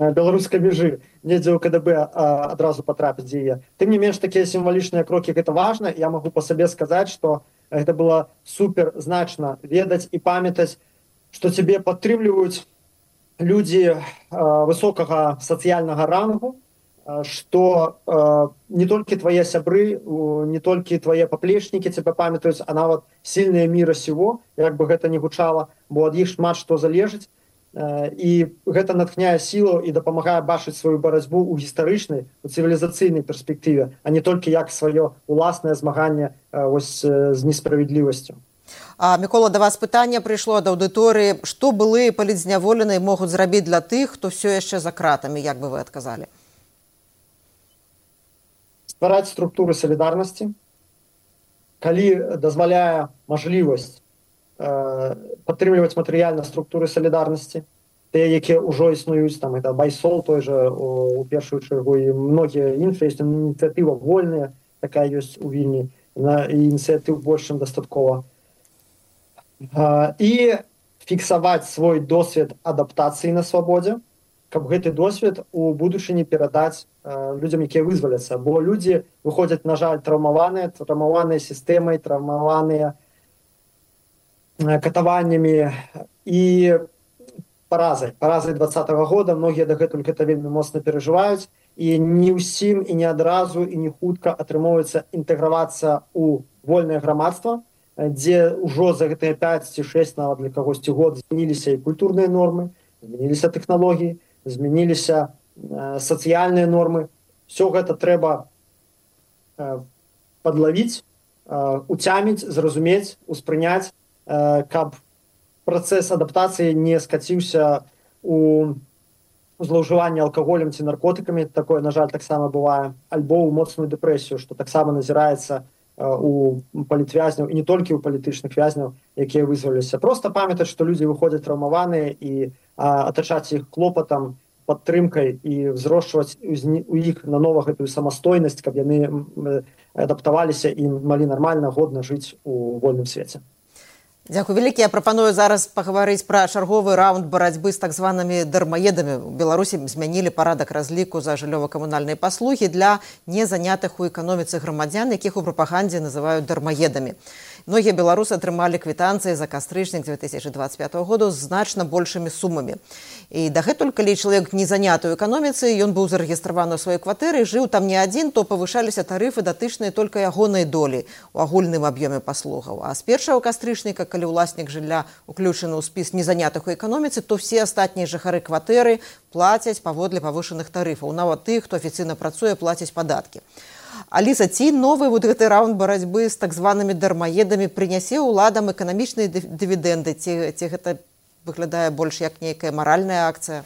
беларускай мяжы, недзе ў КДБ адразу патрапіць дзе яе. Тым не менш, такія сімвалічныя крокі, гэта важна. Я магу па сабе сказаць, што гэта было супер значна ведаць і памятаць, што цябе падтрымліваюць людзі э, высокага сацыяльнага рангу, э, што э, не толькі твае сябры, э, не толькі твае паплечнікі цябе памятаюць, а нават сільныя міра сего, як бы гэта не гучала, бо ад іх шмат што залежыць. І гэта натхняе сілу і дапамагае бачыць сваю барацьбу ў гістарычнай, у цывілізацыйнай перспектыве, а не толькі як сваё уласнае змаганне ось з несправядлівасцю. А, Мікола, да вас пытанне прыйшло ад аўдыторыі. Што былыя палітзняволеныя могуць зрабіць для тых, хто ўсё яшчэ за кратамі, як бы вы адказалі? Ствараць структуры салідарнасці, калі дазваляе мажлівасць падтрымліваць матэрыяльна структуры салідарнасці, тыя, якія ўжо існуюць, там это Байсол той жа у першую чаргу і многія іншыя, ёсць ініцыятыва вольная, такая ёсць у Вільні, і ініцыятыў больш чым дастаткова. І фіксаваць свой досвед адаптацыі на свабодзе, каб гэты досвед у будучыні перадаць людзям, якія вызваляцца, бо людзі выходзяць, на жаль, траўмаваныя, траўмаваныя сістэмай, траўмаваныя катаваннямі і паразай. Паразай двадцатага года, многія дагэтуль гэта вельмі моцна перажываюць, і не ўсім і не адразу і не хутка атрымоўваецца інтэгравацца ў вольнае грамадства, дзе ўжо за гэтыя пяць ці шэсць нават для кагосьці год змяніліся і культурныя нормы, змяніліся тэхналогіі, змяніліся э, сацыяльныя нормы. Все гэта трэба э, падлавіць, э, уцяміць, зразумець, успрыняць, каб працэс адаптацыі не скаціўся у злоўжыванне алкаголем ці наркотыкамі, такое, на жаль, таксама бывае, альбо ў моцную дэпрэсію, што таксама назіраецца у палітвязняў, і не толькі ў палітычных вязняў, якія вызваліліся. Проста памятаць, што людзі выходзяць траўмаваныя, і атачаць іх клопатам, падтрымкай і взрошчваць у іх нанова гэтую самастойнасць, каб яны адаптаваліся і малі нармальна, годна жыць у вольным свеце. Дзякуй вялікі. Я прапаную зараз пагаварыць пра чарговы раунд барацьбы з так званымі дармаедамі. У Беларусі змянілі парадак разліку за жыллёва-камунальныя паслугі для незанятых у эканоміцы грамадзян, якіх у прапагандзе называюць дармаедамі. Многія беларусы атрымалі квітанцыі за кастрычнік две тысячы двадцать пятого года з значна большымі сумамі. І дагэтуль, калі чалавек не заняты ў эканоміцы, ён быў зарэгістраваны ў сваёй кватэры, жыў там не адзін, то павышаліся тарыфы датычныя толькі ягонай долі ў агульным аб'ёме паслугаў. А з першага кастрычніка, калі ўласнік жылля уключаны ў спіс незанятых у эканоміцы, то все астатнія жыхары кватэры плацяць паводле павышаных тарыфаў. Нават тых, хто афіцыйна працуе, плацяць падаткі. Аліса, ці новы вот гэты раунд барацьбы з так званымі дармаедамі прынясе ўладам эканамічныя дывідэнды, ці, ці гэта выглядае больш як нейкая маральная акцыя?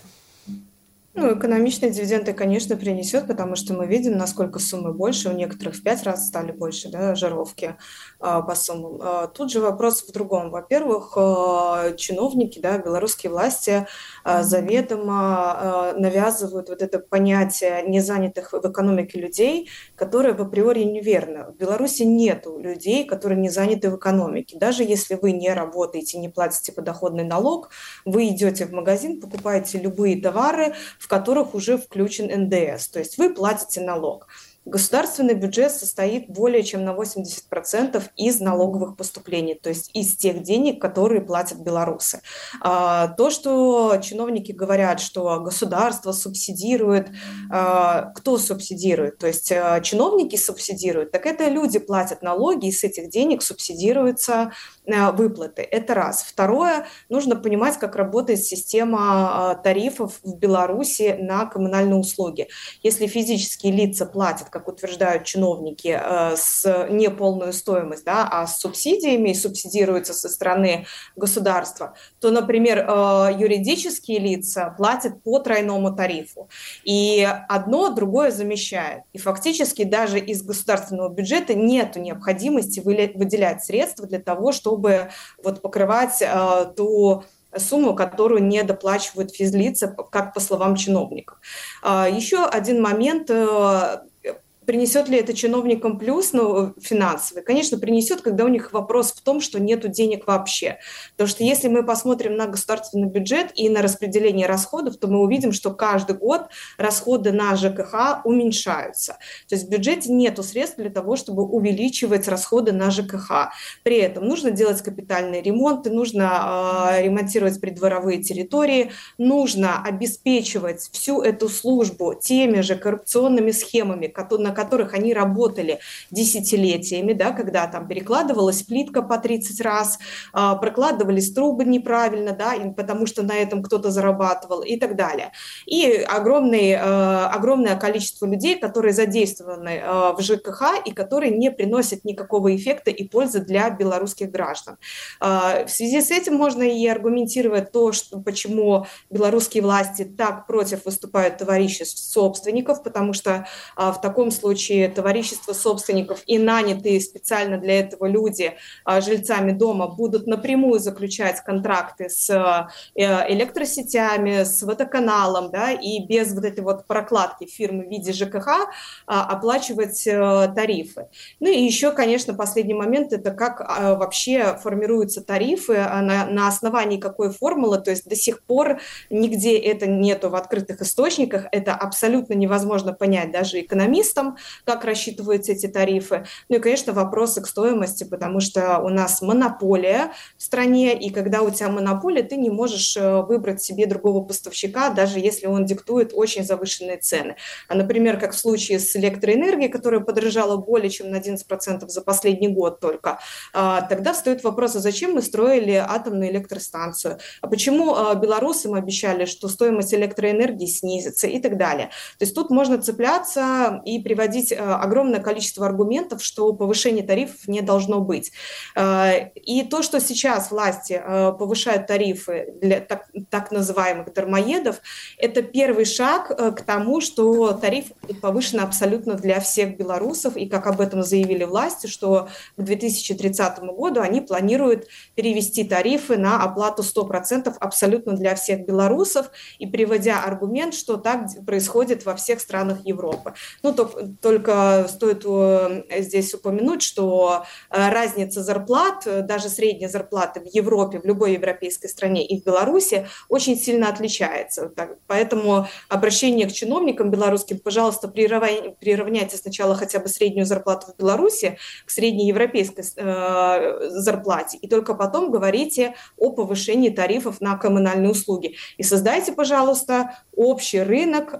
Ну, экономичные дивиденды, конечно, принесет, потому что мы видим, насколько суммы больше, у некоторых в пять раз стали больше, да, жировки а, по суммам. А, тут же вопрос в другом. Во-первых, а, чиновники, да, белорусские власти а, заведомо а, навязывают вот это понятие незанятых в экономике людей, которое в априори неверно. В Беларуси нету людей, которые не заняты в экономике. Даже если вы не работаете, не платите подоходный налог, вы идете в магазин, покупаете любые товары, в которых уже включен эн дэ эс, то есть вы платите налог. Государственный бюджет состоит более чем на восемьдесят процентов из налоговых поступлений, то есть из тех денег, которые платят белорусы. То, что чиновники говорят, что государство субсидирует, кто субсидирует? То есть чиновники субсидируют, так это люди платят налоги, и с этих денег субсидируются выплаты. Это раз. Второе, нужно понимать, как работает система тарифов в Беларуси на коммунальные услуги. Если физические лица платят, как утверждают чиновники, с неполную стоимость, да, а с субсидиями, и субсидируются со стороны государства, то, например, юридические лица платят по тройному тарифу. И одно другое замещает. И фактически даже из государственного бюджета нет необходимости выделять средства для того, чтобы чтобы вот покрывать э, ту сумму, которую не доплачивают физлица, как по словам чиновников. Э, еще один момент. Э, Принесет ли это чиновникам плюс, ну, финансовый? Конечно, принесет, когда у них вопрос в том, что нет денег вообще. Потому что если мы посмотрим на государственный бюджет и на распределение расходов, то мы увидим, что каждый год расходы на ЖКХ уменьшаются. То есть в бюджете нет средств для того, чтобы увеличивать расходы на ЖКХ. При этом нужно делать капитальные ремонты, нужно э, ремонтировать придворовые территории, нужно обеспечивать всю эту службу теми же коррупционными схемами, которые на которых они работали десятилетиями, да, когда там перекладывалась плитка по тридцать раз, э, прокладывались трубы неправильно, да, потому что на этом кто-то зарабатывал и так далее. И огромный, э, огромное количество людей, которые задействованы э, в ЖКХ и которые не приносят никакого эффекта и пользы для белорусских граждан. Э, в связи с этим можно и аргументировать то, что, почему белорусские власти так против выступают товариществ собственников, потому что э, в таком случае случае товарищество собственников и нанятые специально для этого люди жильцами дома будут напрямую заключать контракты с электросетями, с водоканалом, да, и без вот этой вот прокладки фирмы в виде ЖКХ оплачивать тарифы. Ну и еще, конечно, последний момент – это как вообще формируются тарифы, на, на основании какой формулы, то есть до сих пор нигде это нету в открытых источниках, это абсолютно невозможно понять даже экономистам, как рассчитываются эти тарифы. Ну и, конечно, вопросы к стоимости, потому что у нас монополия в стране, и когда у тебя монополия, ты не можешь выбрать себе другого поставщика, даже если он диктует очень завышенные цены. А, например, как в случае с электроэнергией, которая подорожала более чем на одиннадцать процентов за последний год только, тогда встает вопрос, а зачем мы строили атомную электростанцию? А почему белорусам обещали, что стоимость электроэнергии снизится и так далее? То есть тут можно цепляться и приводить огромное количество аргументов, что повышение тарифов не должно быть. И то, что сейчас власти повышают тарифы для так, так называемых дармоедов, это первый шаг к тому, что тариф повышен абсолютно для всех белорусов, и как об этом заявили власти, что к две тысячи тридцатому году они планируют перевести тарифы на оплату сто процентов абсолютно для всех белорусов, и приводя аргумент, что так происходит во всех странах Европы. Ну, то, только стоит здесь упомянуть, что разница зарплат, даже средняя зарплата в Европе, в любой европейской стране и в Беларуси очень сильно отличается. Поэтому обращение к чиновникам белорусским, пожалуйста, приравняйте сначала хотя бы среднюю зарплату в Беларуси к среднеевропейской зарплате, и только потом говорите о повышении тарифов на коммунальные услуги. И создайте, пожалуйста, общий рынок,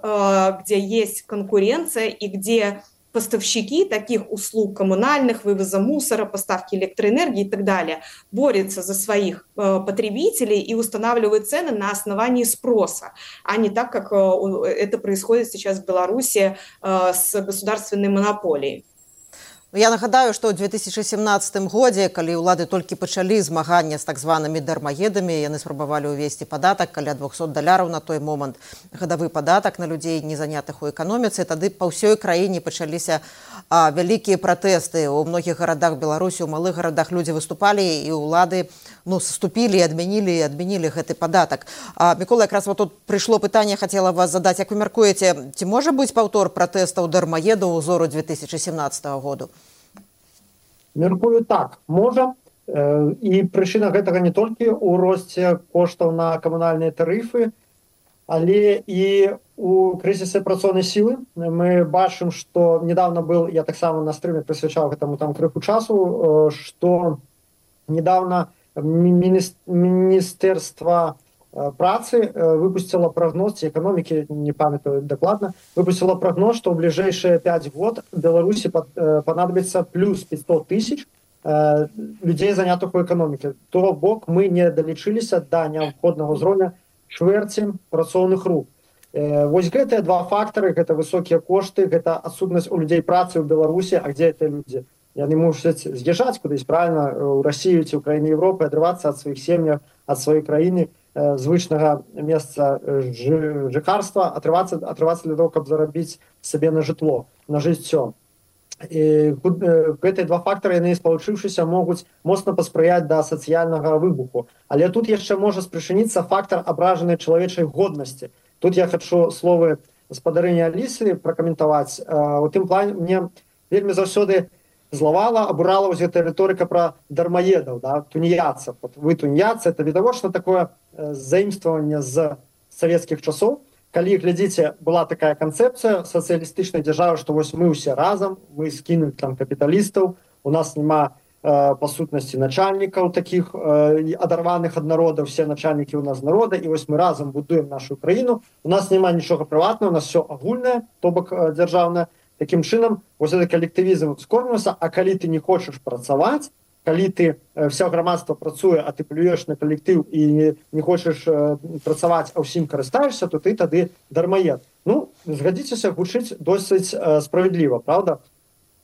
где есть конкуренция и где поставщики таких услуг коммунальных, вывоза мусора, поставки электроэнергии и так далее борются за своих э, потребителей и устанавливают цены на основании спроса, а не так, как э, это происходит сейчас в Беларуси э, с государственной монополией. Я нагадаю, што ў две тысячи семнадцатым годзе, калі ўлады толькі пачалі змагання з так званымі дармаедамі, яны спрабавалі ўвесці падатак каля двухсот даляраў на той момант, гадавы падатак на людзей, не занятых у эканоміцы. Тады па ўсёй краіне пачаліся а, вялікія пратэсты. У многіх гарадах Беларусі, у малых гарадах людзі выступалі, і ўлады ну, сступілі, адмянілі, адмянілі гэты падатак. А, Мікола, якраз вот тут прыйшло пытанне, хацела вас задаць. Як вы мяркуеце, ці можа быць паўтор пратэстаў дармаедаў узору две тысячи семнадцатого году? Мяркую так, можа. І прычына гэтага не толькі ў росце коштаў на камунальныя тарыфы, але і у крызісе працоўнай сілы. Мы бачым, што недавно был, я таксама на стрыме прысвячаў гэтаму там крыху часу, што недавно Міністэрства працы выпустила прогноз, экономики, не памятаю докладно, выпустила прогноз, что в ближайшие пять год Беларуси понадобится плюс пятьсот тысяч людей, занятых у экономики. То бок мы не долечились до необходного уровня чвэрці працоўных рук. Вось гэтыя два фактары, гэта высокія кошты, гэта адсутнасць у людзей працы ў Беларусі, а где это люди? Яны мусяць з'язджаць кудысь, правильно, у Россию ці ў краіны Европы, адрывацца ад сваіх сем'яў, ад сваёй краіны, звычнага месца жыхарства, атрывацца, атрывацца для того, каб зарабіць сабе на жытло, на жыццё. І гэтыя два фактары, яны спалучыўшыся, могуць моцна паспрыяць да сацыяльнага выбуху. Але тут яшчэ можа спрычыніцца фактар абражанай чалавечай годнасці. Тут я хочу словы гаспадарыні Алісы пракаментаваць. У тым плане мне вельмі заўсёды злавала, абурала вось гэтая рыторыка пра дармаедаў, да, тунеядцаў. Вот вы тунеядцы, это відавочна такое заімстваванне з савецкіх часоў. Калі глядзіце, была такая канцэпцыя сацыялістычнай дзяржавы, што вось мы ўсе разам, мы скінулі там капіталістаў, у нас няма э, па сутнасці начальнікаў такіх э, адарваных ад народа, все начальнікі ў нас народа, і вось мы разам будуем нашу краіну, у нас няма нічога прыватнага, у нас все агульнае, то бок э, дзяржаўнае. Такім чынам, вось гэты калектывізм скорміўся, а калі ты не хочаш працаваць, калі ты э, все грамадства працуе, а ты плюеш на калектыў і не, не хочаш э, працаваць, а ўсім карыстаешся, то ты тады дармаед. Ну, згадзіцеся, гучыць досыць э, справядліва, правда?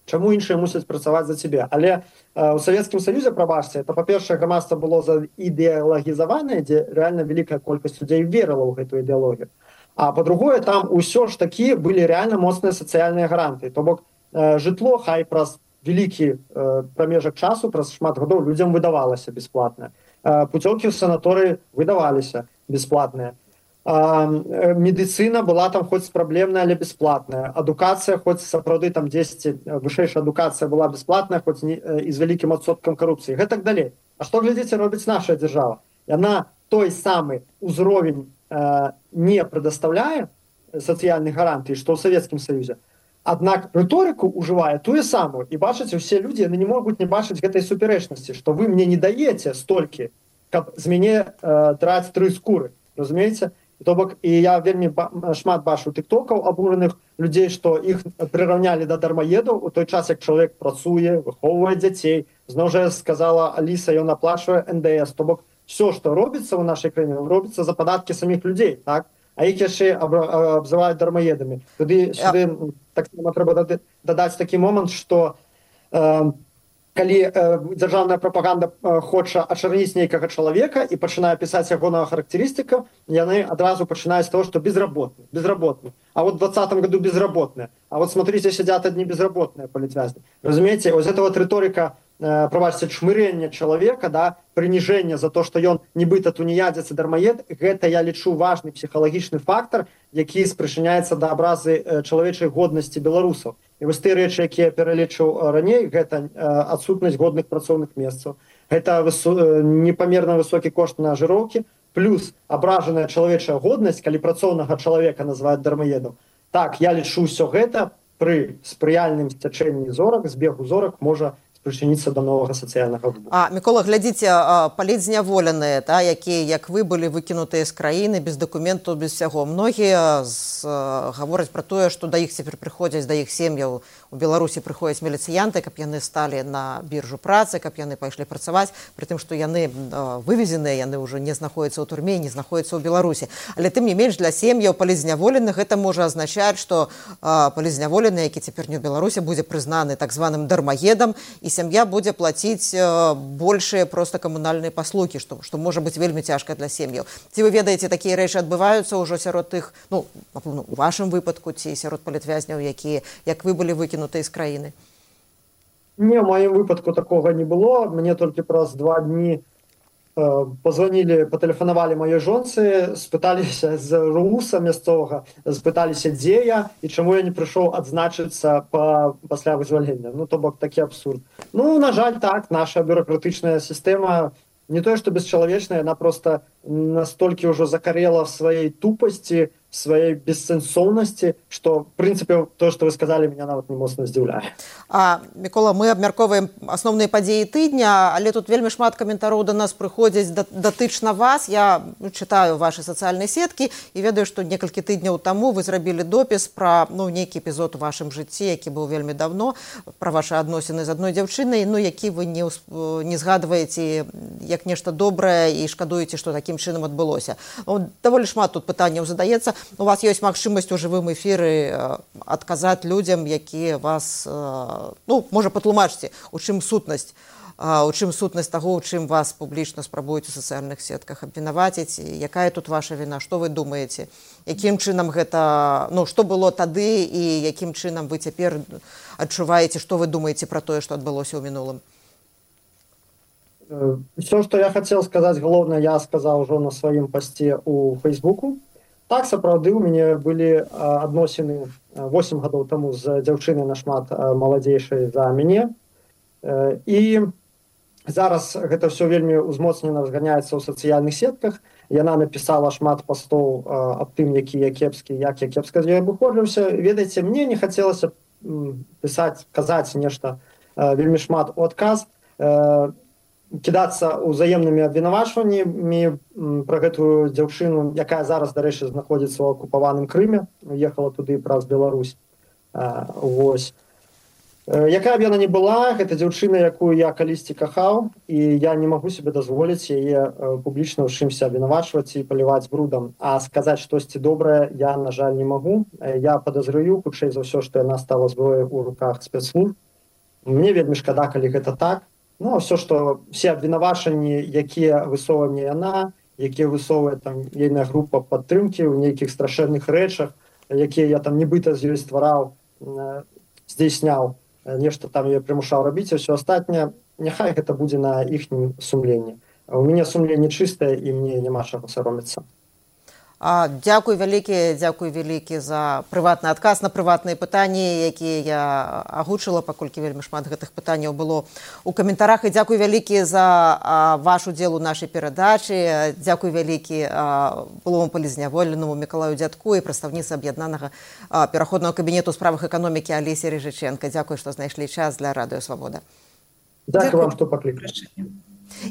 Чаму іншыя мусяць працаваць за цябе? Але э, у Савецкім Саюзе, прабачце, это, па-першае, грамадства было заідэалагізаванае, дзе рэальна вялікая колькасць людзей верыла ў гэтую ідэалогію. А по-другое, там ўсё ж такі былі рэальна моцныя сацыяльныя гаранты. То бок э, жытло, хай праз вялікі э, прамежак часу, праз шмат гадоў людзям выдавалася бясплатна. Э, путёўкі ў санаторыі выдаваліся бясплатныя. Э, медыцына была там хоць праблемная, але бясплатная. Адукацыя, хоць сапраўды там дзесьці вышэйшая адукацыя была бясплатная, хоць не, э, і з вялікім адсоткам карупцыі. Гэтак далей. А што, глядзіце, робіць наша дзяржава? Яна той самы ўзровень э, не прадастаўляе сацыяльных гарантый, што ў Савецкім Саюзе. Аднак рыторыку ўжывае тую самую. І бачыце, усе людзі яны не могуць не бачыць гэтай супярэчнасці, што вы мне не даеце столькі, каб з мяне э, драць тры скуры. Разумееце? То бок, і я вельмі ба шмат бачу тыктокаў абураных людзей, што іх прыраўнялі да дармаедаў у той час, як чалавек працуе, выхоўвае дзяцей. Зноў жа сказала Аліса, ён аплачвае эн дэ эс. То бок, все, што робіцца ў нашай краіне, робіцца за падаткі саміх людзей, так? А іх яшчэ абзываюць дармаедамі. Туды сюды так само трэба дадаць такі момант, што э, калі э, дзяржаўная прапаганда э, хоча ачарніць нейкага чалавека і пачынае пісаць ягонага характарыстыка, яны адразу пачынаюць з того, што безработны, безработны. А вот в двадцатом году безработные. А вот смотрите, сидят одни безработные политвязни. Разумеете, вот эта вот риторика, э, проводится чмырение человека, да, принижение за то, что он нібыта тунеядец и дармаед, это я лічу важный психологичный фактор, який спричиняется до образы э, человечей годности белорусов. И вот те речи, які я перелічыў раней, это э, отсутность годных працоўных месцаў, это высо э, непомерно высокий кошт на жировки, плюс абражаная чалавечая годнасць, калі працоўнага чалавека называюць дармаедам. Так, я лічу ўсё гэта пры спрыяльным сцячэнні зорак, збегу зорак можа прычыніцца да новага сацыяльнага выбуху. А, Мікола, глядзіце, палітзняволеныя, та, якія, як вы, былі выкінутыя з краіны, без дакументаў, без всяго. Многія з, гавораць пра тое, што да іх цяпер прыходзяць, да іх сем'яў у Беларусі прыходзяць міліцыянты, каб яны сталі на біржу працы, каб яны пайшлі працаваць, пры тым, што яны вывезеныя, яны ўжо не знаходзяцца ў турме, не знаходзяцца ў Беларусі. Але тым не менш, для сем'яў палітзняволеных гэта можа азначаць, што палітзняволены, які цяпер не ў Беларусі, будзе прызнаны так званым дармаедам, і сям'я будзе плаціць большыя проста камунальныя паслугі, што, што можа быць вельмі цяжка для сем'яў. Ці вы ведаеце, такія рэчы адбываюцца ўжо сярод тых, ну, напэўна, у вашым выпадку, ці сярод палітвязняў, якія, як вы былі выкінутыя з краіны? Не, в моем выпадку такога не было. Мне толькі праз два дні э, позвонили, патэлефанавалі маёй жонцы, спыталіся з руса мясцовага, спыталіся, дзе я і чаму я не прыйшоў адзначыцца па, пасля вызвалення. Ну, то бок такі абсурд. Ну, на жаль, так, наша бюрократычная сістэма не тое, што бесчалавечная, яна просто настолькі ўжо закарела в сваёй тупасці, сваёй бессэнсоўнасці, што в прынцыпе то, што вы сказалі, меня нават не моцна здзіўляе. А, Мікола, мы абмяркоўваем асноўныя падзеі тыдня, але тут вельмі шмат каментароў да нас прыходзяць датычна вас. Я чытаю вашы сацыяльныя сеткі і ведаю, што некалькі тыдняў таму вы зрабілі допіс пра ну, нейкі эпізод у вашым жыцці, які быў вельмі давно, пра вашы адносіны з адной дзяўчынай, ну, які вы не, не згадваеце як нешта добрае і шкадуеце, што такім чынам адбылося. Ну, даволі шмат тут пытанняў задаецца. У вас ёсць магчымасць у жывым эфіры адказаць людзям, якія вас, ну, можа, патлумачце, у чым сутнасць, у чым сутнасць таго, у чым вас публічна спрабуюць у сацыяльных сетках абвінаваціць, якая тут ваша віна, што вы думаеце, якім чынам гэта, ну, што было тады і якім чынам вы цяпер адчуваеце, што вы думаеце пра тое, што адбылося ў мінулым? Все, што я хацеў сказаць, галоўнае, я сказаў ужо на сваім пасце ў Фейсбуку. Так, сапраўды, у мяне былі адносіны восем гадоў таму з дзяўчынай нашмат маладзейшай за мяне. І зараз гэта ўсё вельмі узмоцнена разганяецца ў сацыяльных сетках. Яна напісала шмат пастоў аб тым, які я кепскі, як я кепска з ёй абыходжуся. Ведаеце, мне не хацелася пісаць, казаць нешта вельмі шмат у адказ, кідацца ўзаемнымі абвінавачваннямі пра гэтую дзяўчыну, якая зараз, дарэчы, знаходзіцца ў акупаваным Крыме, уехала туды праз Беларусь. Вось. Якая б яна не была, гэта дзяўчына, якую я калісьці кахаў, і я не магу себе дазволіць яе публічна ў чымся абвінавачваць і паліваць брудам. А сказаць штосьці добрае я, на жаль, не магу. Я падазраю, хутчэй за ўсё, што яна стала зброяй у руках спецслужб. Мне вельмі шкада, калі гэта так. Ну, все, што все абвінавачанні, якія высовывае мне яна, якія высовывае там ейная група падтрымкі ў нейкіх страшэнных рэчах, якія я там нібыта з ёй ствараў, здзейсняў, нешта там я прымушаў рабіць, і ўсё астатняе, няхай гэта будзе на іхнім сумленні. У мяне сумленне чыстае, і мне няма чаго саромецца. А, дзякуй вялікі, дзякуй вялікі за прыватны адказ на прыватныя пытанні, якія я агучыла, паколькі вельмі шмат гэтых пытанняў было ў каментарах. І дзякуй вялікі за а, ваш удзел у нашай перадачы. Дзякуй вялікі былому палізняволенаму Мікалаю Дзядку і прадстаўніцы аб'яднанага а, пераходнага кабінету ў справах эканомікі Алесе Рыжыченка. Дзякуй, што знайшлі час для Радыё Свабода. Дзякуй вам, што паклікалі.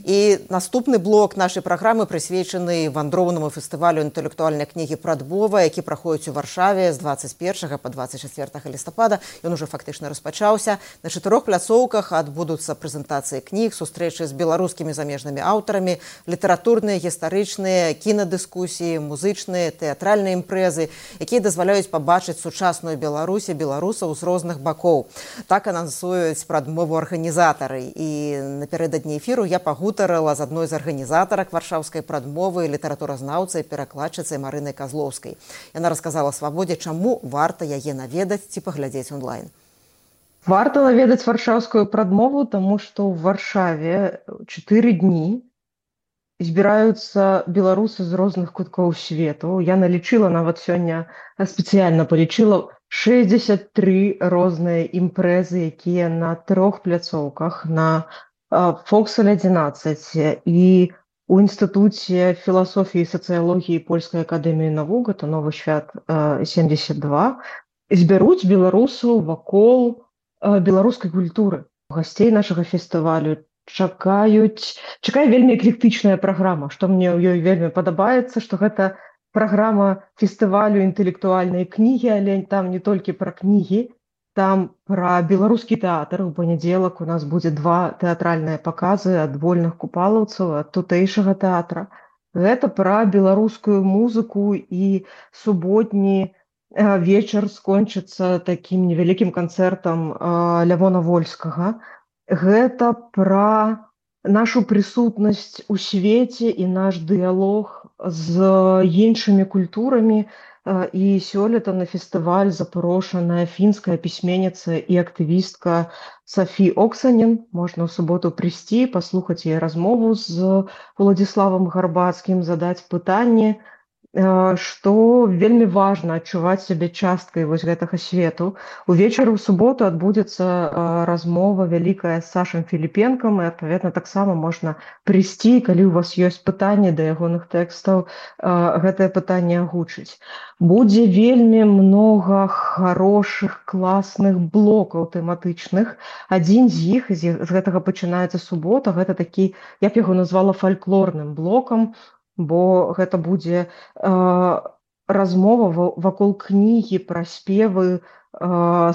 І наступны блок нашай праграмы прысвечаны вандроўнаму фестывалю інтэлектуальнай кнігі «Прадбова», які праходзіць у Варшаве з дваццаць першага па дваццаць чацвёртага лістапада. Ён ужо фактычна распачаўся. На чатырох пляцоўках адбудуцца прэзентацыі кніг, сустрэчы з беларускімі замежнымі аўтарамі, літаратурныя, гістарычныя, кінадыскусіі, музычныя, тэатральныя імпрэзы, якія дазваляюць пабачыць сучасную Беларусь і беларусаў з розных бакоў. Так анансуюць прадмову арганізатары. І напярэдадні эфіру я пагутарыла з адной з арганізатарак варшаўскай прадмовы, літаратуразнаўцай, перакладчыцай Марынай Казлоўскай. Яна расказала Свабодзе, чаму варта яе наведаць ці паглядзець онлайн. Варта наведаць варшаўскую прадмову, таму што ў Варшаве чатыры дні збіраюцца беларусы з розных куткоў свету. Я налічыла, нават сёння спецыяльна палічыла шэсцьдзесят тры розныя імпрэзы, якія на трох пляцоўках, на Фоксель адзінаццаць і у Інстытуце філасофіі і сацыялогіі Польскай акадэміі навук, гэта Новы свят семьдесят два, збяруць беларусаў вакол беларускай культуры. Гасцей нашага фестывалю чакаюць, чакае вельмі эклектычная праграма, што мне ў ёй вельмі падабаецца, што гэта праграма фестывалю інтэлектуальнай кнігі, але там не толькі пра кнігі, там пра беларускі тэатр. У панядзелак у нас будзе два тэатральныя паказы ад вольных купалаўцаў, ад тутэйшага тэатра. Гэта пра беларускую музыку, і суботні вечар скончыцца такім невялікім канцэртам Лявона Вольскага. Гэта пра нашу прысутнасць у свеце і наш дыялог з іншымі культурамі. І сёлета на фестываль запрошаная фінская пісьменніца і актывістка Сафі Оксанен. Можна ў суботу прыйсці, паслухаць яе размову з Уладзіславам Гарбацкім, задаць пытанні што вельмі важна адчуваць сябе часткай вось гэтага свету. Увечары ў суботу адбудзецца размова вялікая з Сашам Філіпенкам, і адпаведна таксама можна прыйсці, калі ў вас ёсць пытанні да ягоных тэкстаў, гэтае пытанне агучыць. Будзе вельмі многа хорошых, класных блокаў тэматычных. Адзін з іх, з гэтага пачынаецца субота, гэта такі, я б яго назвала фальклорным блокам, бо гэта будзе э, размова вакол кнігі пра спевы э,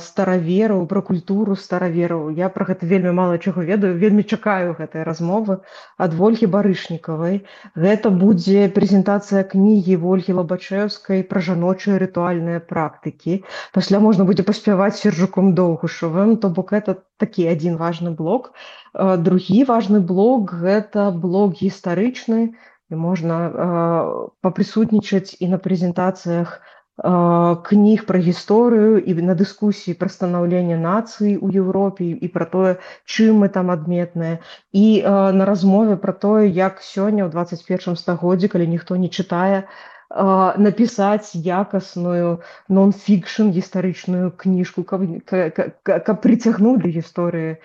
старавераў, пра культуру старавераў. Я пра гэта вельмі мала чаго ведаю, вельмі чакаю гэтай размовы ад Вольгі Барышнікавай. Гэта будзе прэзентацыя кнігі Вольгі Лабачэўскай пра жаночыя рытуальныя практыкі. Пасля можна будзе паспяваць Сержуком Доўгушавым, то бок гэта такі адзін важны блок. Э, другі важны блок – гэта блок гістарычны, і можна э, папрысутнічаць і на прэзентацыях э, кніг пра гісторыю і на дыскусіі пра станаўленне нацыі ў Еўропе і пра тое, чым мы там адметныя, і э, на размове пра тое, як сёння ў дваццаць першым стагоддзі, калі ніхто не чытае, напісаць якасную нон-фікшн гістарычную кніжку, каб, каб, каб прыцягнуць да гісторыі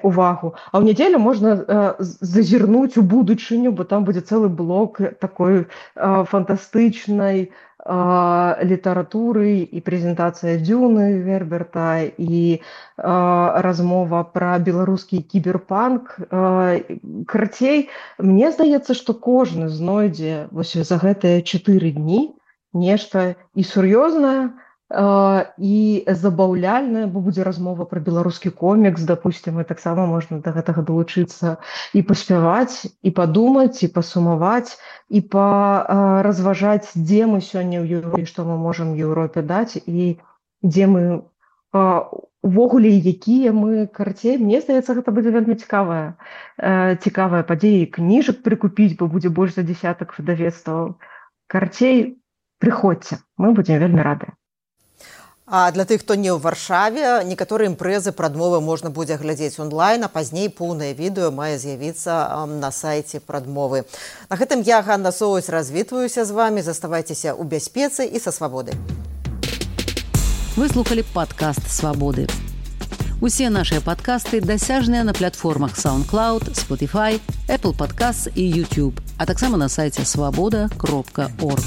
увагу. А ў нядзелю можна э, зазірнуць у будучыню, бо там будзе цэлы блок такой э, фантастычнай літаратуры і прэзентацыя Дзюны Герберта і э, размова пра беларускі кіберпанк. Э, карацей, мне здаецца, што кожны знойдзе вось за гэтыя чатыры дні нешта і сур'ёзнае, і забаўляльная, бо будзе размова пра беларускі комікс, допустим, і таксама можна да гэтага далучыцца і паспяваць, і падумаць, і пасумаваць, і паразважаць, дзе мы сёння ў Еўропе, што мы можам Еўропе даць, і дзе мы увогуле, якія мы, карацей, мне здаецца, гэта будзе вельмі цікавая, цікавая падзея, і кніжак прыкупіць, бо будзе больш за дзясятак выдавецтваў. Карацей, прыходзьце, мы будзем вельмі рады. А для тых, хто не ў Варшаве, некаторыя імпрэзы прадмовы можна будзе глядзець онлайн, а пазней поўнае відэо мае з'явіцца на сайце прадмовы. На гэтым я, Ганна Соусь, развітваюся з вамі. Заставайцеся ў бяспецы і са свабодай. Вы слухалі падкаст «Свабоды». Усе нашыя падкасты дасяжныя на платформах SoundCloud, Spotify, Apple Podcasts і YouTube, а таксама на сайце свабода кропка орг.